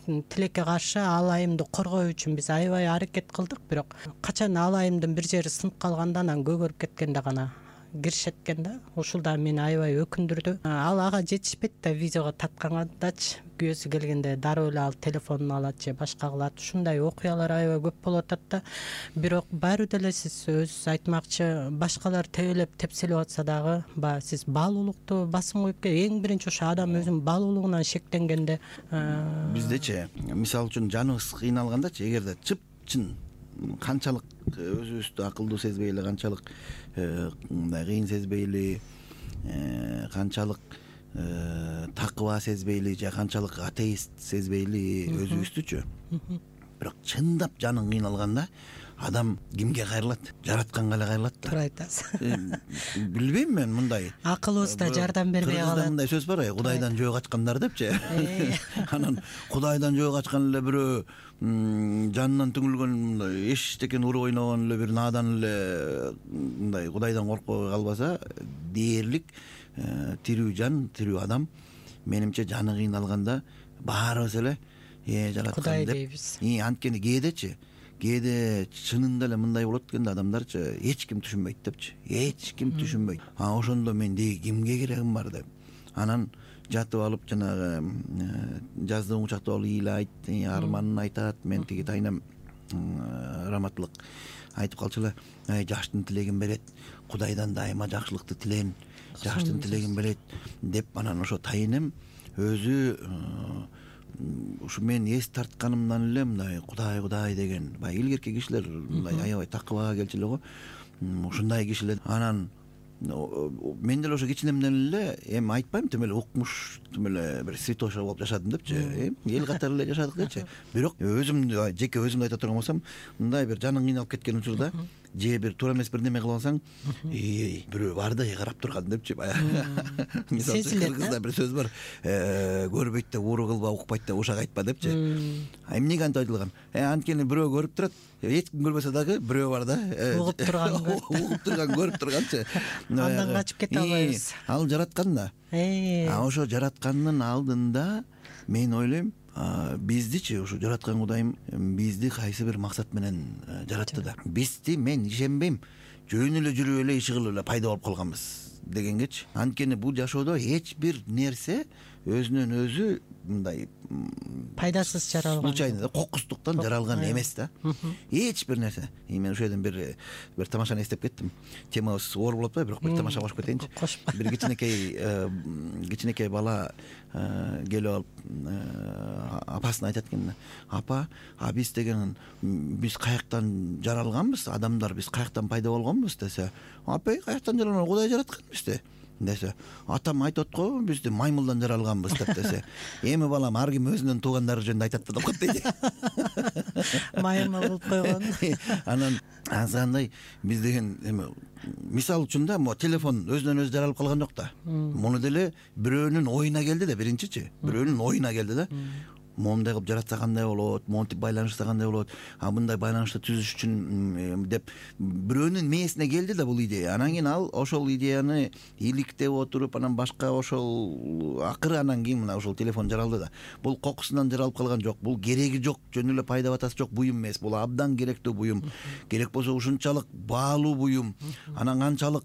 S2: Тилекке каршы ал айымды коргоо үчүн биз аябай аракет кылдык, бирок качан ал айымдын бир жери сынып калганда, анан көгөрүп кеткенде гана киришет экен да. Ушул да мени аябай өкүндүрдү. Ал ага жетишпейт да, видеого тарткандачы күйөөсү келгенде дароо эле ал телефонун алат же башка кылат. Ушундай окуялар аябай көп болуп атат да. Бирок баары деле сиз өзүңүз айтмакчы, башкалар тебелеп тепселеп атса дагы, баягы сиз баалуулукту басым коюп ке, эң биринчи ошо адам өзүнүн баалуулугунан шектенгенде.
S3: Биздечи, мисалы үчүн жаныбыз кыйналгандачы, эгерде чып-чын канчалык өзүбүздү акылдуу сезбей эле, канчалык мындай кыйын сезбей эле, канчалык такыба сезбейли же канчалык атеист сезбейли өзүбүздүчү, бирок чындап жаның кыйналганда адам кимге кайрылат? Жаратканга эле кайрылат да.
S2: Туура айтасыз.
S3: Билбейм мен, мындай
S2: акылыбыз да жардам бербей калат.
S3: Кыргызда мындай сөз бар, Кудайдан жөө качкандар депчи. Анан Кудайдан жөө качкан эле бирөө жанынан түңүлгөн мындай эчтекен уруп ойногон эле бир наадан эле мындай Кудайдан коркпой калбаса, дээрлик тирүү жан, тирүү адам менимче жаны кыйналганда баарыбыз эле э жараткан
S2: Кудай
S3: деп.
S2: дейбиз.
S3: И анткени кээдечи кээде чынында эле мындай болот экенде, адамдарчы эч ким түшүнбөйт депчи. Эч ким түшүнбөйт. А ошондо мен деги кимге керегим бар деп. Анан жатып алып жанагы жаздыгын кучактап алып ыйлайт, арманын айтат. Мен тиги тайнам раматтылык айтып калчу эле, ай жаштын тилегин берет, Кудайдан дайыма жакшылыкты тилейм, жаштын тилегин берет деп. Анан ошо тайынем өзү ушу мен эс тартканымдан эле мындай Кудай Кудай деген баягы илгерки кишилер мындай аябай такыбага келчү эле го, ушундай кишилер. Анан мен деле ошо кичинемден эле эми айтпайм тим эле укмуш, тим эле бир святоша болуп жашадым депчи, эл катары эле жашадык дечи. Бирок өзүмдү жеке өзүмдү айта турган болсом, мындай бир жаның кыйналып кеткен учурда же бир туура эмес бир неме кылып алсаң, эй бирөө бар да карап турган депчи баягы. Мисалы Кыргызда бир сөз бар, көрбөйт деп ууру кылба, укпайт деп ушак айтпа депчи. А эмнеге антип айтылган? Э анткени бирөө көрүп турат, эч ким көрбөсө дагы бирөө бар да,
S2: угуп турган,
S3: угуп турган, көрүп турганчы.
S2: Андан качып кете албайбыз.
S3: Ал жараткан да. А ошо жараткандын алдында мен ойлойм, биздичи ушу жараткан Кудайым бизди кайсы бир максат менен жаратты да. Бизди мен ишенбейм жөн эле жүрүп эле иши кылып эле пайда болуп калганбыз дегенгечи. Анткени бул жашоодо эч бир нерсе өзүнөн өзү мындай
S2: пайдасыз жаралган,
S3: случайно кокустуктан жаралган эмес да. Эч бир нерсе. Мен ошол жерден бир бир тамашаны эстеп кеттим. Темабыз оор болот атпайбы, бирок бир тамаша кошуп кетейинчи. Бир кичинекей кичинекей бала келип алып апасына айтат экен: апа, а биз деген биз каяктан жаралганбыз, адамдар биз каяктан пайда болгонбуз десе, апа каяктан жаралган, Кудай жараткан бизди десе, атам айтат го бизди маймылдан жаралганбыз деп десе, эми балам ар ким өзүнүн туугандары жөнүндө айтат деп коет дейт.
S2: Маймыл болуп койгон.
S3: Анан азгандай биз деген эми мисалы үчүн да, могу телефон өзүнөн өзү жаралып калган жок да. Муну деле бирөөнүн оюна келди да, биринчичи, бирөөнүн оюна келди да. Моундай кылып жаратса кандай болот, монтип байланышса кандай болот, а мындай байланышты түзүш үчүн деп бирөөнүн мээсине келди да бул идея. Анан кийин ал ошол идеяны иликтеп отуруп, анан башка ошол акыры анан кийин мына ошол телефон жаралды да. Бул кокусунан жаралып калган жок, бул кереги жок, жөн эле пайда батасы жок буюм эмес. Бул абдан керектүү буюм. Керек болсо ушунчалык баалуу буюм. Анан канчалык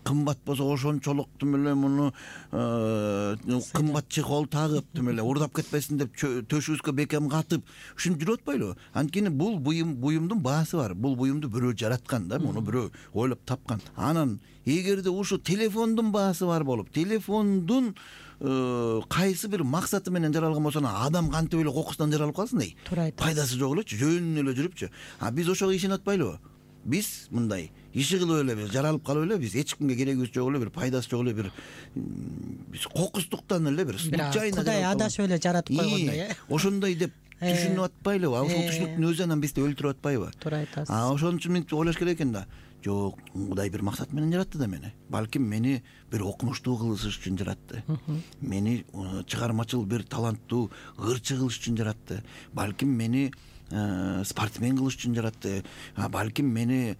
S3: кымбат болсо ошончолук тим эле муну кымбат чехол тагып, тим эле урдап кетпесин деп төшүбүзгө бекем катып ушинтип жүрүп атпайлыбы? Анткени бул буюм, буюмдун баасы бар. Бул буюмду бирөө жараткан да, муну бирөө ойлоп тапкан. Анан эгерде ушу телефондун баасы бар болуп, телефондун кайсы бир максаты менен жаралган болсо, адам кантип эле кокусунан жаралып калсын дей. Пайдасы жок элечи, жөн эле жүрүпчү. А биз ошого ишенип атпайлыбы? Биз мындай иши кылып эле бир жаралып калып эле, биз эч кимге керегибиз жок эле, бир пайдасы жок эле, бир биз кокустуктан эле бир случайно
S2: Кудай адашып эле жаратып койгондой, э.
S3: Ошондой деп түшүнүп атпайлыбы? А ошол түшүнүктүн өзү анан бизди өлтүрүп атпайбы?
S2: Туура айтасыз.
S3: А ошон үчүн мынтип ойлош керек экен да. Жок, Кудай бир максат менен жаратты да мени. Балким мени бир окумуштуу кылыш үчүн жаратты. Мени чыгармачыл бир таланттуу ырчы кылыш үчүн жаратты. Балким мени спортсмен кылыш үчүн жаратты. Балким мени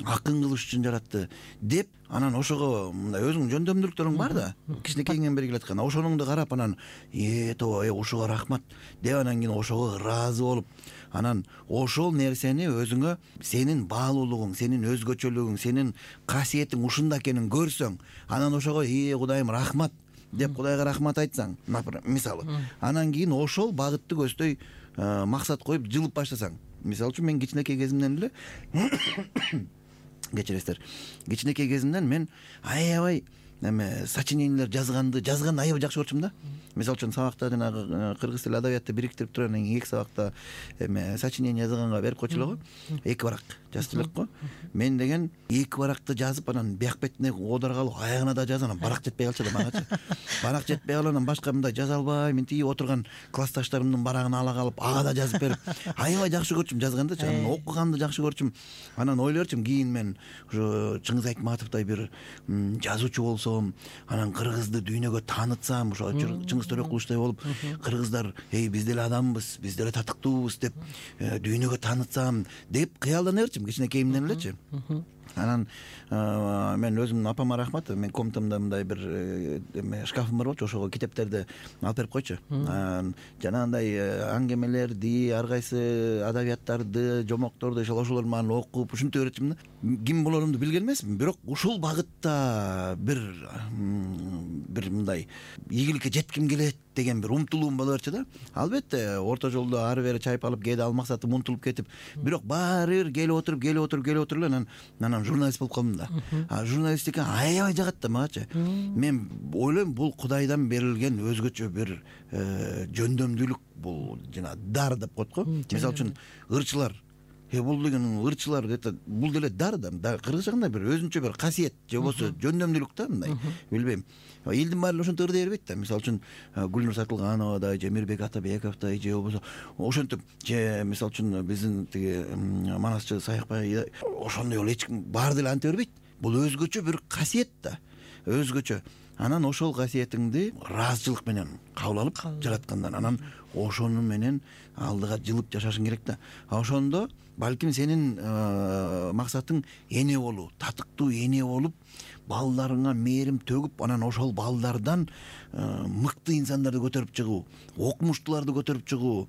S3: акын кылыш үчүн жаратты деп, анан ошого мындай өзүңдүн жөндөмдүүлүктөрүң бар да, кичинекейиңен бери келаткан. Ошоңду карап анан э тоо э ушуга рахмат деп, анан кийин ошого ыраазы болуп, анан ошол нерсени өзүңө, сенин баалуулугуң, сенин өзгөчөлүгүң, сенин касиетиң ушунда экенин көрсөң, анан ошого э Кудайым рахмат деп Кудайга рахмат айтсаң, мисалы, анан кийин ошол багытты көздөй максат коюп жылып баштасаң. Мисалы үчүн мен кичинекей кезимден эле кечиресиздер, кичинекей кезимден мен аябай эме сочинениялер жазганды жазганды аябай жакшы көрчүм да. Мисалы үчүн сабакта жанагы кыргыз тили адабиятты бириктирип туруп, анан эки сабакта эме сочинение жазганга берип койчулар го, эки барак. жазчу элек го. Мен деген эки баракты жазып анан бияк бетине оодарга алып аягына да жазып анан барак жетпей калчу да магачы. Барак жетпей калып анан башка мындай жаза албай мен тиги отурган классташтарымдын барагын ала калып ага да жазып берип аябай жакшы көрчүм жазгандычы. Анан окуганды жакшы көрчүм. Анан ойлорчумун кийин мен ошо Чыңгыз Айтматовдой бир жазуучу болсом, анан кыргызды дүйнөгө таанытсам, ошо Чыңгыз Төрөкуловдой болуп кыргыздар эй биз деле адамбыз, биз деле татыктуубуз деп дүйнөгө таанытсам деп кыялдана берчүм кичинекейимден элечи. Анан мен өзүмдүн апама рахмат, мен комнатамда мындай бир эме шкафым бар болчу, ошого китептерди алып берип койчу. Жанагындай аңгемелерди, ар кайсы адабияттарды, жомокторду ошолор менен окуп ушинте берчүмүн да. Ким болорумду билген эмесмин, бирок ушул багытта бир бир мындай ийгиликке жетким келет деген бир умтулуум боло берчү да. Албетте орто жолдо ары бери чайпалып кээде ал максатым унутулуп кетип, бирок баары бир келип отуруп, келип отуруп, келип отуруп эле анан анан журналист болуп калдым да. А журналистика аябай жагат да магачы. Мен ойлойм бул Кудайдан берилген өзгөчө бир жөндөмдүүлүк, бул жана дар деп коет го. Мисалы үчүн ырчылар Э бул деген ырчылар это бул деле дар да. Кыргызча кандай бир өзүнчө бир касиет же болбосо жөндөмдүүлүк да мындай. Билбейм. Элдин баары ошентип ырдей бербейт да. Мисалы үчүн Гүлнур Сатылгановдай же Мирбек Атабековдой же болбосо ошентип же мисалы үчүн биздин тиги манасчы Саякбай ошондой эле эч ким баары деле анте бербейт. Бул өзгөчө бир касиет да. Өзгөчө. Анан ошол касиетиңди ыраазычылык менен кабыл алып жараткандан анан ошону менен алдыга жылып жашашың керек да. А ошондо балким сенин максатың эне болуу, татыктуу эне болуп, балдарыңа мээрим төгүп, анан ошол балдардан мыкты инсандарды көтөрүп чыгуу, окумуштууларды көтөрүп чыгуу,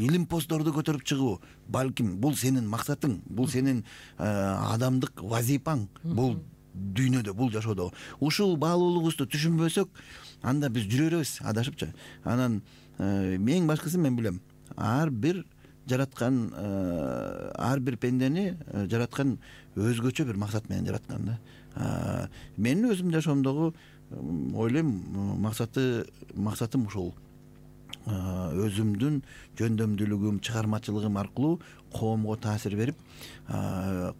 S3: илимпоздорду көтөрүп чыгуу. Балким бул сенин максатың, бул сенин адамдык вазипаң, бул дүйнөдө, бул жашоодо. Ушул баалуулугубузду түшүнбөсөк, анда биз жүрө беребиз адашыпчы. Анан эң башкысы мен билем, ар бир жараткан, ар бир пендени жараткан өзгөчө бир максат менен жараткан да. Менин өзүмдүн жашоомдогу ойлойм максаты максатым ушул. Өзүмдүн жөндөмдүүлүгүм, чыгармачылыгым аркылуу коомго таасир берип,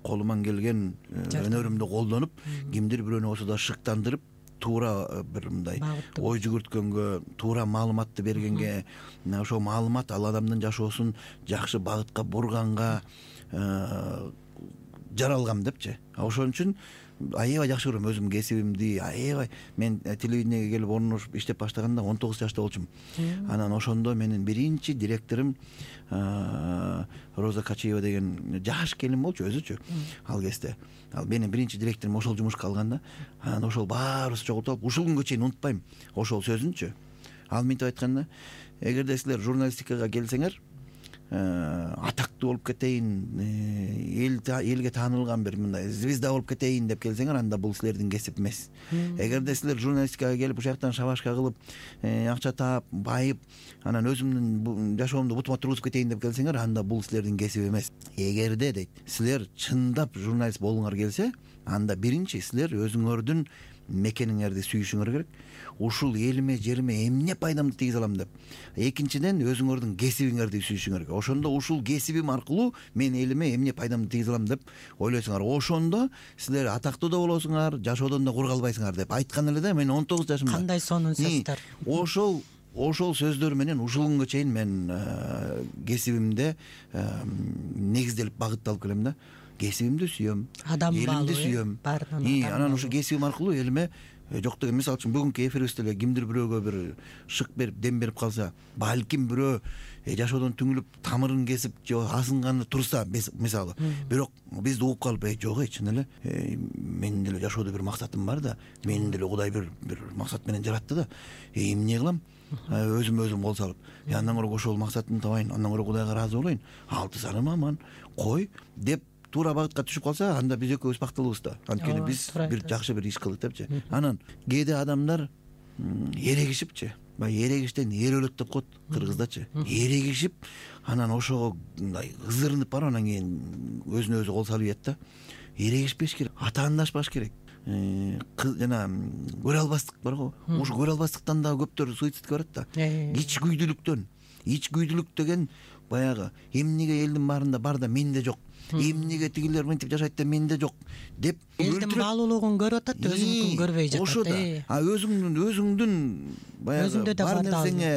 S3: колуман келген өнөрүмдү колдонуп, кимдир бирөөнү болсо да шыктандырып, туура бир мындай ой жүгүрткөнгө, туура маалыматты бергенге, ошол маалымат ал адамдын жашоосун жакшы багытка бурганга жаралгам депчи. Ошон үчүн аябай жакшы көрөм өзүмдүн кесибимди, аябай. Мен телевидениеге келип орношуп иштеп баштаганда он тогуз жашта болчумун. Анан ошондо менин биринчи директорум Роза Качиева деген жаш келин болчу өзүчү ал кезде. Ал менин биринчи директорум ошол жумушка алганда, анан ошол баарыбыз чогултуп алып, ушул күнгө чейин унутпайм ошол сөзүнчү. Ал мынтип айтканда, эгерде силер журналистикага келсеңер, атактуу болуп кетейин, эл элге таанылган бир мындай звезда болуп кетейин деп келсеңер, анда бул силердин кесип эмес. Эгерде силер журналистикага келип ушул жактан шабашка кылып, акча таап, байып, анан өзүмдүн жашоомду бутума тургузуп кетейин деп келсеңер, анда бул силердин кесип эмес. Эгерде дейт, силер чындап журналист болуңар келсе, анда биринчи силер өзүңөрдүн мекениңерди сүйүшүңөр керек. Ушул элиме, жериме эмне пайдамды тийгизе алам деп. Экинчиден өзүңөрдүн кесибиңерди сүйүшүңөр керек. Ошондо ушул кесибим аркылуу мен элиме эмне пайдамды тийгизе алам деп ойлойсуңар. Ошондо силер атактуу да болосуңар, жашоодон да кур калбайсыңар деп айткан эле да, мен он тогуз жашымда.
S2: Кандай сонун сөздөр.
S3: Ошол ошол сөздөр менен ушул күнгө чейин мен кесибимде негизделип багытталып келем да. Кесибимди сүйөм, элимди сүйөм. Анан ушул кесибим аркылуу элиме жок деген, мисалы үчүн бүгүнкү эфирибизде эле кимдир бирөөгө бир шык берип, дем берип калса, балким бирөө жашоодон түңүлүп, тамырын кесип, же асынганы турса, мисалы. Бирок бизди угуп калып, э жок, чын эле, менин деле жашоодо бир максатым бар да, менин деле Кудай бир бир максат менен жаратты да. Э эмне кылам? Өзүм өзүм кол салып, андан көрө ошол максатымды табайын, андан көрө Кудайга ыраазы болоюн. Алты саным аман, кой деп туура багытка түшүп калса, анда биз экөөбүз бактылуубуз да. Анткени биз бир жакшы бир иш кылдык депчи. Анан кээде адамдар эрегишипчи, баягы эрегиштен эр өлөт деп коет кыргыздачы. Эрегишип, анан ошого мындай ызырынып барып, анан кийин өзүнө өзү кол салып ийет да. Эрегишпеш керек, атаандашпаш керек. Жана көрө албастык бар го. Ушу көрө албастыктан да көптөр суицидке барат да. Ичкүйдүүлүктөн. Ичкүйдүүлүк деген баягы эмнеге элдин баарында бар да менде жок. эмнеге тигилер мынтип жашайт да менде жок деп
S2: элдин баалуулугун көрүп атат, өзүнүкүн көрбөй жатат.
S3: Ошо да. А өзүңдүн өзүңдүн баягы бар нерсеңе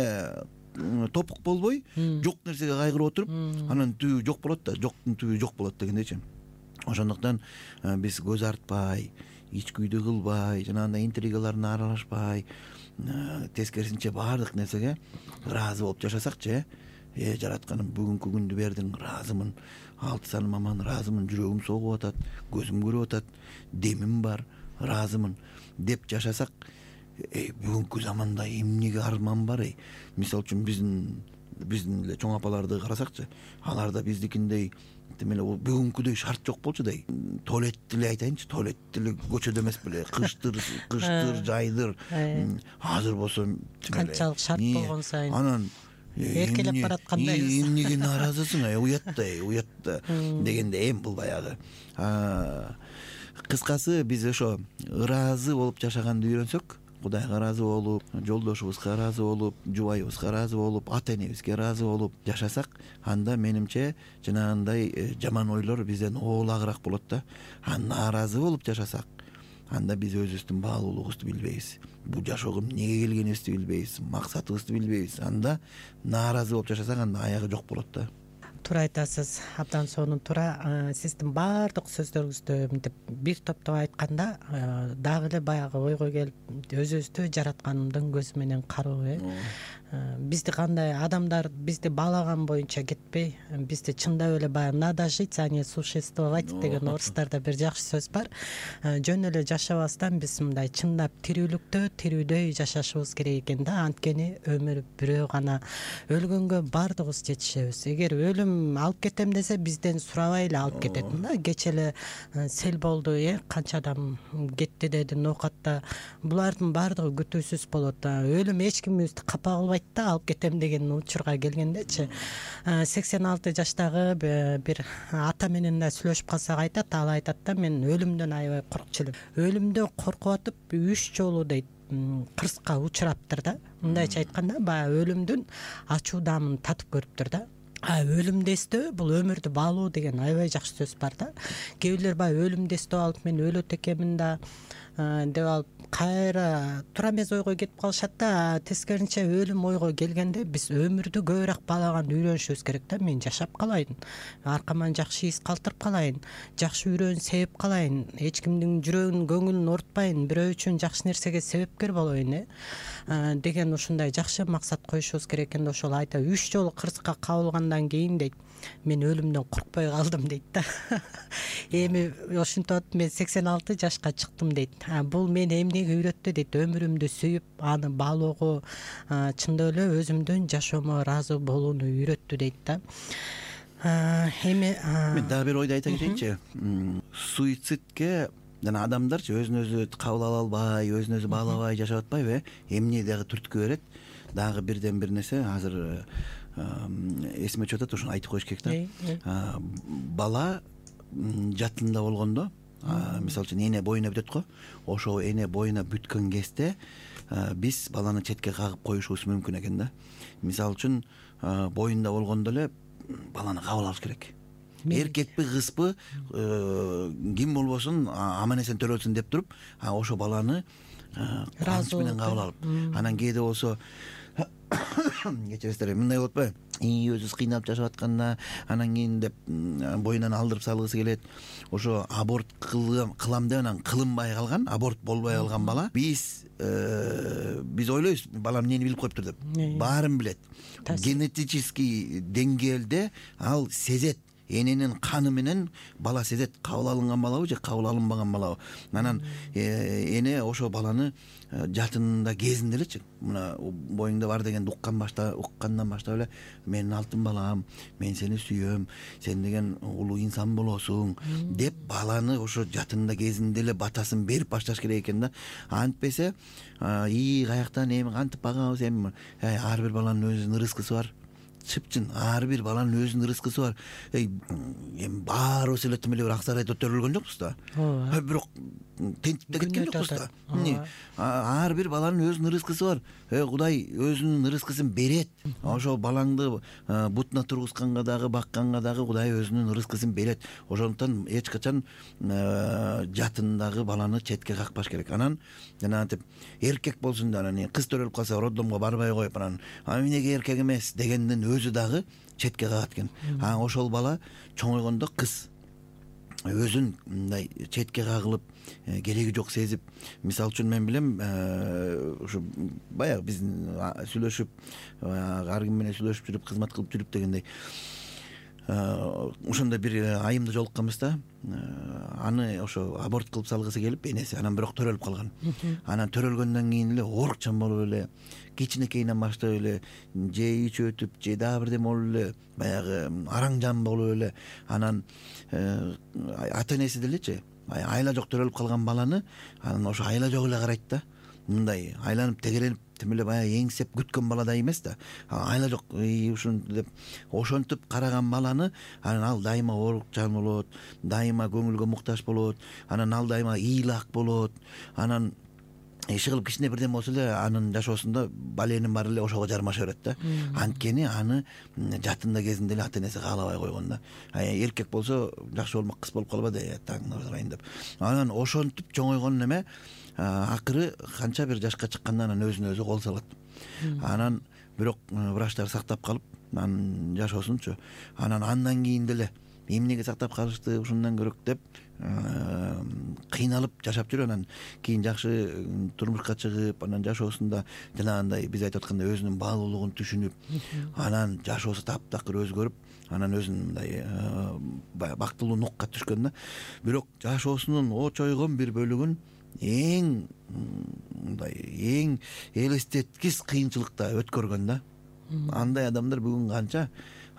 S3: топук болбой, жок нерсеге кайгырып отуруп, анан түбү жок болот да, жоктун түбү жок болот дегендейчи. Ошондуктан биз көз артпай, ич күйдү кылбай, жанагындай интригаларына аралашпай, тескерисинче баардык нерсеге ыраазы болуп жашасакчы, э жаратканым бүгүнкү күндү бердиң, ыраазымын, алты саным аман, ыраазымын, жүрөгүм согуп атат, көзүм көрүп атат, демим бар, ыраазымын деп жашасак, э бүгүнкү заманда эмнеге арман бар? Эй, мисалы үчүн биздин биздин эле чоң апаларды карасакчы, аларда биздикиндей демеле бүгүнкүдөй шарт жок болчу да. Туалетти эле айтайынчы, туалетти эле көчөдө эмес беле, кыштыр, кыштыр, жайдыр. Азыр болсо
S2: канчалык шарт болгон сайын
S3: анан
S2: эркелеп бараткандайбыз.
S3: Эмнеге нааразысың? Уят да, уят да дегенде эми бул баягы. Кыскасы биз ошо ыраазы болуп жашаганды үйрөнсөк, Кудайга ыраазы болуп, жолдошубузга ыраазы болуп, жубайыбызга ыраазы болуп, ата энебизге ыраазы болуп жашасак, анда менимче жанагындай жаман ойлор бизден оолагыраак болот да. А нааразы болуп жашасак, анда биз өзүбүздүн баалуулугубузду билбейбиз. Бул жашоого эмнеге келгенибизди билбейбиз, максатыбызды билбейбиз. Анда нааразы болуп жашасак, анда аягы жок болот да.
S2: Туура айтасыз, абдан сонун туура. Сиздин баардык сөздөрүңүздү мынтип бир топтоп айтканда дагы эле баягы ойго келип, өзүбүздү жараткандын көзү менен кароо, э бизди кандай адамдар бизди баалаган боюнча кетпей, бизди чындап эле баягы надо жить, а не существовать деген орустарда бир жакшы сөз бар. Жөн эле жашабастан биз мындай чындап тирүүлүктө тирүүдөй жашашыбыз керек экен да. Анткени өмүр бирөө гана, өлгөнгө баардыгыбыз жетишебиз. Эгер өлүм алып кетем десе, бизден сурабай эле алып кетет да. Кече эле сел болду, э канча адам кетти деди ноокатта. Булардын баардыгы күтүүсүз болот да. Өлүм эч кимибизди капа кылбайт да, алып кетем деген учурга келгендечи. сексен алты жаштагы бир ата менен да сүйлөшүп калсак айтат, ал айтат да, мен өлүмдөн аябай коркчу элем. Өлүмдөн коркуп атып үч жолу дейт кырсыкка учураптыр да. Мындайча айтканда, баягы өлүмдүн ачуу даамын татып көрүптүр да. А өлүмдү эстөө бул өмүрдү баалоо деген аябай жакшы сөз бар да. Кээ бирлер баягы өлүмдү эстеп алып, мен өлөт экенмин да деп алып кайра туура эмес ойго кетип калышат да. Тескерисинче өлүм ойго келгенде биз өмүрдү көбүрөөк баалаганды үйрөнүшүбүз керек да. Мен жашап калайын, аркаман жакшы из калтырып калайын, жакшы үрөөн себеп калайын, эч кимдин жүрөгүнүн көңүлүн оорутпайын, бирөө үчүн жакшы нерсеге себепкер болоюн, э деген ушундай жакшы максат коюшубуз керек экен да. Ошол айта үч жолу кырсыкка кабылгандан кийин дейт, мен өлүмдөн коркпой калдым дейт да. Эми ошентип мен сексен алты жашка чыктым дейт. Бул мени эмнеге үйрөттү дейт, өмүрүмдү сүйүп, аны баалоого, чындап эле өзүмдүн жашоомо ыраазы болууну үйрөттү дейт да. Эми
S3: мен дагы бир ойду айта кетейинчи. Суицидке жана адамдарчы өзүн өзү кабыл ала албай, өзүн өзү баалабай жашап атпайбы? Эмне дагы түрткү берет? Дагы бирден бир нерсе азыр эсиме түшүп атат, ошону айтып коюш керек да. Бала жатында болгондо, мисалы үчүн эне боюна бүтөт го. Ошо эне боюна бүткөн кезде биз баланы четке кагып коюшубуз мүмкүн экен да. Мисалы үчүн боюнда болгондо эле баланы кабыл алыш керек. Эркекпи, кызбы, ким болбосун аман эсен төрөлсүн деп туруп, ошо баланы ыраазы менен кабыл алып, анан кээде болсо кечиресиздер, мындай болот атпайбы? И өзүбүз кыйналып жашап атканда, анан кийин деп боюнан алдырып салгысы келет. Ошо аборт кылам деп анан кылынбай калган, аборт болбой калган бала, биз биз ойлойбуз, балам эмнени билип коюптур деп. Баарын билет. Генетический деңгээлде ал сезет. Эненин каны менен бала сезет, кабыл алынган балабы же кабыл алынбаган балабы. Анан эне ошо баланы жатында кезинде элечи, мына боюңда бар дегенди уккан башта, уккандан баштап эле, менин алтын балам, мен сени сүйөм, сен деген улуу инсан болосуң деп баланы ошо жатында кезинде эле батасын берип башташ керек экен да. Антпесе, и каяктан эми кантип багабыз, эми ар бир баланын өзүнүн рызкысы бар. чыпчын ар бир баланын өзүнүн рызкысы бар. Эми баарыбыз эле тим эле бир ак сарайда өтөрүлгөн жокпуз да.
S2: ооба.
S3: Бирок тентип да кеткен жокпуз да. Ар бир баланын өзүнүн рызкысы бар. Кудай өзүнүн рызкысын берет. Ошол балаңды бутуна тургузганга дагы, бакканга дагы Кудай өзүнүн рызкысын берет. Ошондуктан эч качан жатындагы баланы четке какпаш керек. Анан жанагынтип эркек болсун да, анан кыз төрөлүп калса роддомго барбай коюп, анан эмнеге эркек эмес дегендин өзү дагы четке кагат экен. Анан ошол бала чоңойгондо кыз өзүн мындай четке кагылып, кереги жок сезип, мисалы үчүн мен билем, ушу баягы биз сүйлөшүп, ар ким менен сүйлөшүп жүрүп, кызмат кылып жүрүп дегендей, ошондой бир айымда жолукканбыз да. Аны ошо аборт кылып салгысы келип, энеси анан бирок төрөлүп калган. Анан төрөлгөндөн кийин эле оорукчан болуп эле, кичинекейинен баштап эле же ичи өтүп, же дагы бирдеме болуп эле, баягы араң-жан болуп эле, анан ата энеси делечи айла жок төрөлүп калган баланы анан ошо айла жок эле карайт да. Мындай айланып тегеленип тим эле баягы эңсеп күткөн баладай эмес да. Айла жок ушинтип деп ошентип караган баланы анан ал дайыма оорукчан болот, дайыма көңүлгө муктаж болот, анан ал дайыма ыйлак болот. Анан иши кылып кичине бирдеме болсо эле анын жашоосунда баленин баары эле ошого жармаша берет да. Анткени аны жатында кезинде эле ата энеси каалабай койгон да. Эркек болсо жакшы болмок, кыз болуп калбады таңдырайын деп. Анан ошентип чоңойгон неме акыры канча бир жашка чыкканда анан өзүнө өзү кол салат. Анан бирок врачтар сактап калып анын жашоосунчу. Анан андан кийин деле эмнеге сактап калышты, ушундан көрөк деп кыйналып жашап жүрүп, анан кийин жакшы турмушка чыгып, анан жашоосунда жанагындай биз айтып аткандай өзүнүн баалуулугун түшүнүп, анан жашоосу таптакыр өзгөрүп, анан өзүн мындай бактылуу нукка түшкөн да. Бирок жашоосунун очойгон бир бөлүгүн эң мындай эң элестеткис кыйынчылыкта өткөргөн да. Андай адамдар бүгүн канча,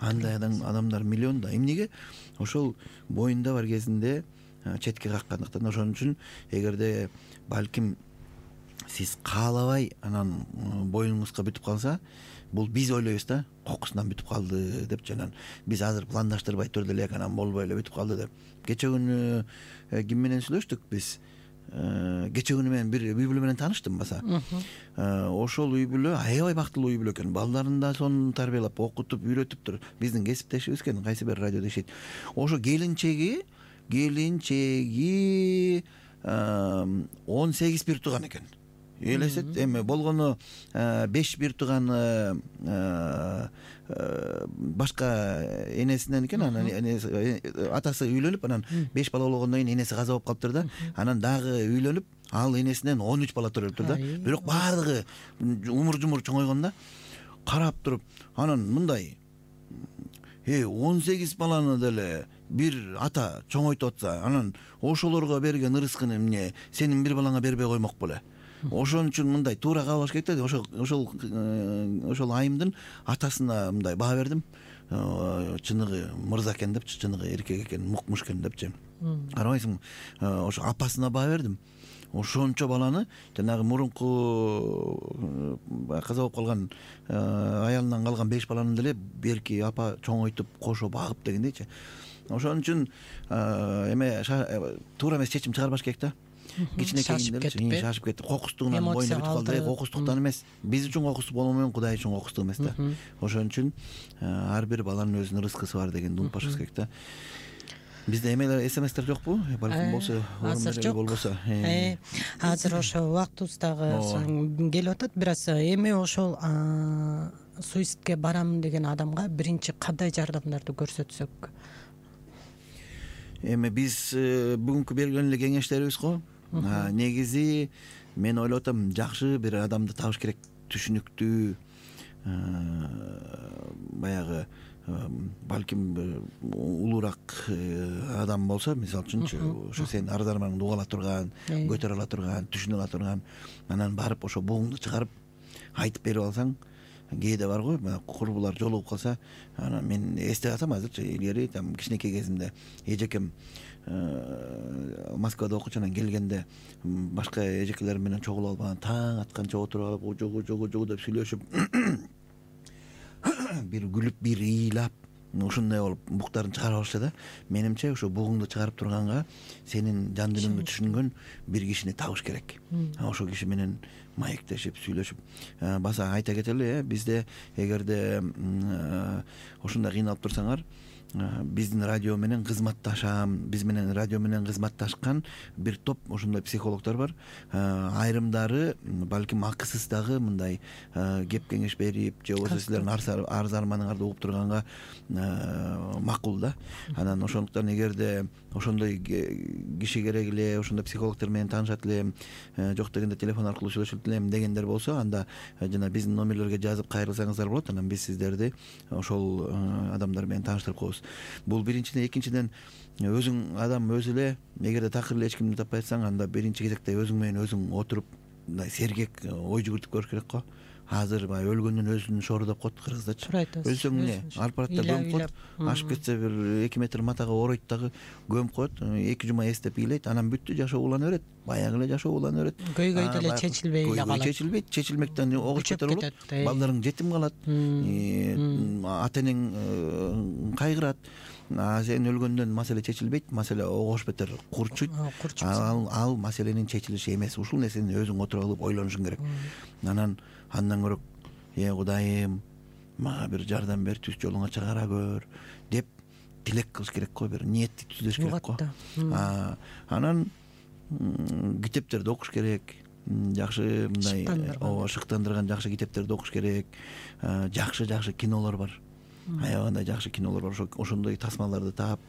S3: андай адамдар миллион да. Эмнеге? Ошол боюнда бар кезинде четке каккандыктан. Ошон үчүн эгерде балким сиз каалабай анан боюңузга бүтүп калса, бул биз ойлойбуз да, кокусунан бүтүп калды деп, жанан биз азыр пландаштырбай турду элек, анан болбой эле бүтүп калды деп. Кече күнү ким менен сүйлөштүк биз? Кече күнү мен бир үй бүлө менен тааныштым баса. Ошол үй бүлө аябай бактылуу үй бүлө экен. Балдарын да сонун тарбиялап, окутуп, үйрөтүптүр. Биздин кесиптешибиз экен, кайсы бир радиодо иштейт. Ошо келинчеги, келинчеги он сегиз бир тууган экен. Элестет, эми болгону беш бир тууган башка энесинен экен. Анан атасы үйлөнүп, анан беш бала болгондон кийин энеси каза болуп калыптыр да. Анан дагы үйлөнүп, ал энесинен он үч бала төрөлүптүр да. Бирок баардыгы умур-жумур чоңойгон да. Карап туруп, анан мындай э он сегиз баланы деле бир ата чоңойтуп атса, анан ошолорго берген ырыскын эмне сенин бир балаңа бербей коймок беле? Ошон үчүн мындай туура каалаш керек да. Ошол ошол ошол айымдын атасына мындай баа бердим. Чыныгы мырза экен депчи, чыныгы эркек экен, мукмуш экен депчи. Карабайсың, ошо апасына баа бердим. Ошончо баланы жанагы мурунку каза болуп калган аялынан калган беш баланы деле берки апа чоңойтуп, кошо багып дегендейчи. Ошон үчүн эме туура эмес чечим чыгарбаш керек да. Кичинекейин деле шашып кетти. Кокустугунан боюна бүтүп калды. Кокустуктан эмес. Биз үчүн кокустук болуу менен Кудай үчүн кокустук эмес да. Ошон үчүн ар бир баланын өзүнүн рызкысы бар дегенди унутпашыбыз керек да. Бизде эмелер, смстер жокпу? Балким болсо,
S2: азыр жок.
S3: Болбосо.
S2: Азыр ошо убактыбыз дагы келип атат. Бир аз эми ошол суицидке барам деген адамга биринчи кандай жардамдарды көрсөтсөк? Эми
S3: биз бүгүнкү берген эле кеңештерибиз го. Негизи мен ойлоп атам, жакшы бир адамды табыш керек, түшүнүктүү, баягы балким улуураак адам болсо, мисалы үчүнчү, ошо сен арыз арманыңды уга ала турган, көтөрө ала турган, түшүнө ала турган, анан барып ошо бугуңду чыгарып айтып берип алсаң, кээде бар го, курбулар жолугуп калса, анан мен эстеп атам азырчы, илгери там кичинекей кезимде эжекем Москвада окучу, анан келгенде башка эжекелер менен чогулуп алып, таң атканча отуруп алып, ожогу жогу жогу деп сүйлөшүп бир күлүп бир ыйлап ушундай болуп буктарын чыгарып алышты да. Менимче ошо бугуңду чыгарып турганга сенин жан дүйнөңдү түшүнгөн бир кишини табыш керек. Ошол киши менен маектешип сүйлөшүп баса айта кетели, бизде эгерде ошондой кыйналып турсаңар, биздин радио менен кызматташам, биз менен радио менен кызматташкан бир топ ошондой психологдор бар. Айрымдары балким акысыз дагы мындай кеп кеңеш берип, же болбосо силердин арыз арманыңарды угуп турганга макул да. Анан ошондуктан эгерде ошондой киши керек эле, ошондой психологдор менен таанышат элем, жок дегенде телефон аркылуу сүйлөшөт элем дегендер болсо, анда жана биздин номерлерге жазып кайрылсаңыздар болот. Анан биз сиздерди ошол адамдар менен тааныштырып коебуз. Бул биринчиден. Экинчиден, өзүң адам өзү эле эгерде такыр эле эч кимди таппай атсаң, анда биринчи кезекте өзүң менен өзүң отуруп мындай сергек ой жүгүртүп көрүш керек го. Азыр баягы өлгөндүн өзүн шору деп коет кыргыздачы. Өлсөң эмне? Алпаратта көмүп коет. Ашып кетсе бир эки метр матага оройт дагы көмүп коет. эки жума эстеп ыйлайт, анан бүттү, жашоо улана берет. Баягы эле жашоо улана берет.
S2: Көйгөй деле чечилбей эле калат.
S3: Чечилбейт, чечилмектен огуш кетер болот. Балдарың жетим калат. Ата энең кайгырат. А сен өлгөндөн маселе чечилбейт, маселе огош бетер курчуйт. Ал ал маселенин чечилиши эмес. Ушул нерсени өзүң отуруп алып ойлонушуң керек. Анан андан көрөк, э Кудайым, мага бир жардам бер, түз жолуңа чыгара көр деп тилек кылыш керек го, бир ниетти түзүш керек го. Анан китептерди окуш керек. Жакшы мындай ооба шыктандырган жакшы китептерди окуш керек. Жакшы-жакшы кинолор бар. Аябагандай жакшы кинолор бар. Ошондой тасмаларды таап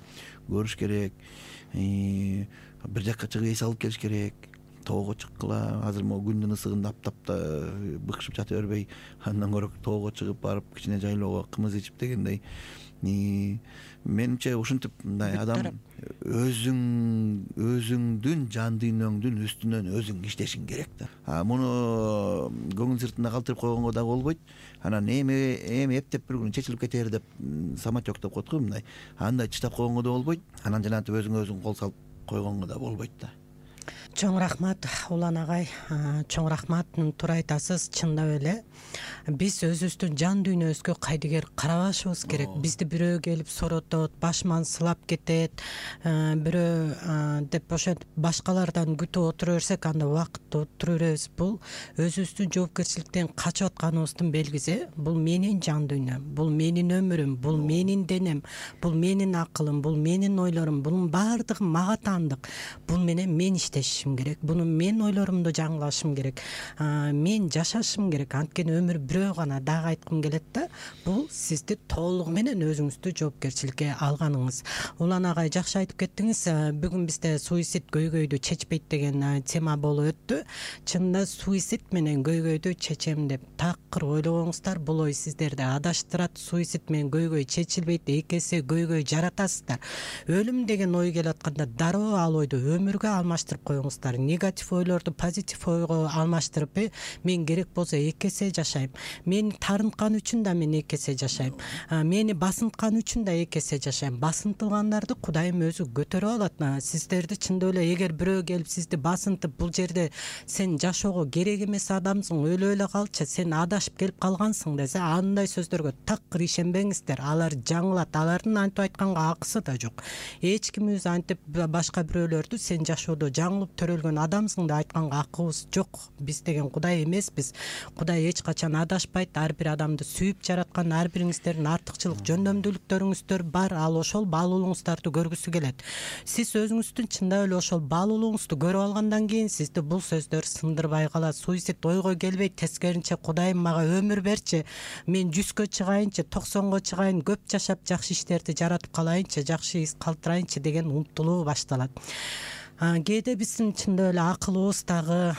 S3: көрүш керек. Бир жакка чыгып эс алып келиш керек. Тоого чыккыла, азыр могу күндүн ысыгында аптапта быкшып жата бербей, андан көрөк тоого чыгып барып кичине жайлоого кымыз ичип дегендей. Менимче ушинтип мындай адам өзүң өзүңдүн жан дүйнөңдүн үстүнөн өзүң иштешиң керек да. А муну көңүл сыртында калтырып койгонго дагы болбойт. Анан эми эми эптеп бир күн чечилип кетер деп самотек деп коет го мындай. Андай чыдап койгонго да болбойт. Анан жанагынтип өзүңө өзүң кол салып койгонго да болбойт да.
S2: Чоң рахмат Улан агай, чоң рахмат. Туура айтасыз, чындап эле. Биз өзүбүздүн жан дүйнөбүзгө кайдыгер карабашыбыз керек. Бизди бирөө келип соротот, башман сылап кетет, бирөө деп ошентип башкалардан күтүп отура берсек, анда убакытты отура беребиз. Бул өзүбүздүн жоопкерчиликтен качып атканыбыздын белгиси. Бул менин жан дүйнөм, бул менин өмүрүм, бул менин денем, бул менин акылым, бул менин ойлорум, бунун баардыгы мага таандык. Бул менен мен иштешим керек. Буну мен ойлорумду жаңылашым керек. Мен жашашым керек. Анткени өмүр бирөө гана. Дагы айткым келет да, бул сизди толугу менен өзүңүздү жоопкерчиликке алганыңыз. Улан агай, жакшы айтып кеттиңиз. Бүгүн бизде суицид көйгөйдү чечпейт деген тема болуп өттү. Чынында суицид менен көйгөйдү чечем деп такыр ойлогоңуздар, бул ой сиздерди адаштырат. Суицид менен көйгөй чечилбейт, эки эсе көйгөй жаратасыздар. Өлүм деген ой келип атканда дароо ал ойду өмүргө алмаштырып коюңуздар. Негатив ойлорду позитив ойго алмаштырып, мен керек болсо эки эсе жашайм. Мени тарынткан үчүн да мен эки эсе жашайм. Мени басынткан үчүн да эки эсе жашайм. Басынтылгандарды Кудайым өзү көтөрүп алат. Сиздерди чындап эле эгер бирөө келип сизди басынтып, бул жерде сен жашоого керек эмес адамсың, өлүп эле калчы, сен адашып келип калгансың десе, андай сөздөргө такыр ишенбеңиздер. Алар жаңылат. Алардын антип айтканга акысы да жок. Эч кимибиз антип башка бирөөлөрдү сен жашоодо жаңылып төрөлгөн адамсың деп айтканга акыбыз жок. Биз деген Кудай эмеспиз. Кудай эч качан адашпайт. Ар бир адамды сүйүп жараткан, ар бириңиздердин артыкчылык, жөндөмдүүлүктөрүңүздөр бар. Ал ошол баалуулугуңуздарды көргүсү келет. Сиз өзүңүздүн чындап эле ошол баалуулугуңузду көрүп алгандан кийин сизди бул сөздөр сындырбай калат. Суицид ойго келбейт. Тескеринче, Кудайым мага өмүр берчи, мен жүзгө чыгайынчы, токсонго чыгайын, көп жашап жакшы иштерди жаратып калайынчы, жакшы из калтырайынчы деген умтулуу башталат. Кээде биздин чындап эле акылыбыз дагы,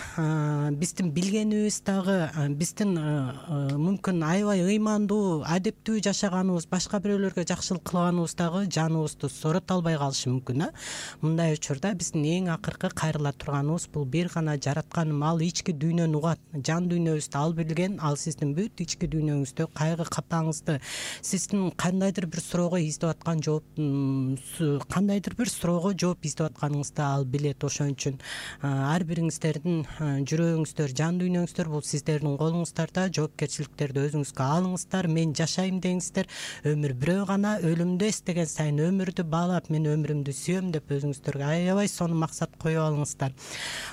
S2: биздин билгенибиз дагы, биздин мүмкүн аябай ыймандуу, адептүү жашаганыбыз, башка бирөөлөргө жакшылык кылганыбыз дагы жаныбызды сорото албай калышы мүмкүн. Мындай учурда биздин эң акыркы кайрыла турганыбыз бул бир гана жаратканым, ал ички дүйнөнү угат. Жан дүйнөбүздү ал билген, ал сиздин бүт ички дүйнөңүздө кайгы капаңызды, сиздин кандайдыр бир суроого издеп аткан жооп, кандайдыр бир суроого жооп издеп атканыңызды ал билет. Ошон үчүн ар бириңиздердин жүрөгүңүздөр, жан дүйнөңүздөр бул сиздердин колуңуздарда. Жоопкерчиликтерди өзүңүзгө алыңыздар. Мен жашайм деңиздер. Өмүр бирөө гана, өлүмдү эстеген сайын өмүрдү баалап, мен өмүрүмдү сүйөм деп өзүңүздөргө аябай сонун максат коюп алыңыздар.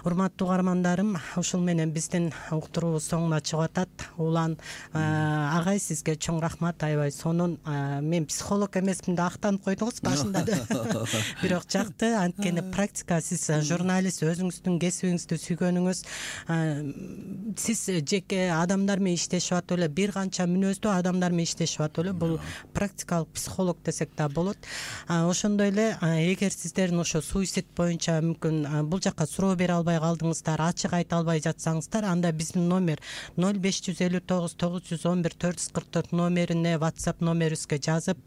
S2: Урматтуу угармандарым, ушул менен биздин уктуруубуз соңуна чыгып атат. Улан агай, сизге чоң рахмат, аябай сонун. Мен психолог эмесмин деп актанып койдуңуз башында да. Бирок жакты, анткени практика, сиз журналист, өзүңүздүн кесибиңизди сүйгөнүңүз, сиз жеке адамдар менен иштешип атып эле, бир канча мүнөздүү адамдар менен иштешип атып эле, бул практикалык психолог десек да болот. Ошондой эле, эгер сиздердин ошо суицид боюнча мүмкүн бул жакка суроо бере албай калдыңыздар, ачык айта албай жатсаңыздар, анда биздин номер ноль беш жүз элүү тогуз тогуз жүз он бир төрт жүз кырк төрт номерине WhatsApp номерибизге жазып,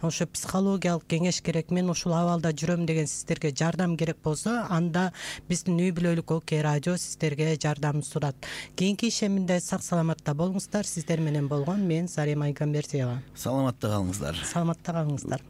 S2: ошо психологиялык кеңеш керек, мен ушул абалда жүрөм деген сиздерге жардам керек болсо, анда биздин Үй бүлөлүк ОК радио сиздерге жардам сурат. Кийинки ишеминде сак саламатта болуңуздар. Сиздер менен болгон мен Зарема Айгамбердиева.
S3: Саламатта калыңыздар.
S2: Саламатта калыңыздар.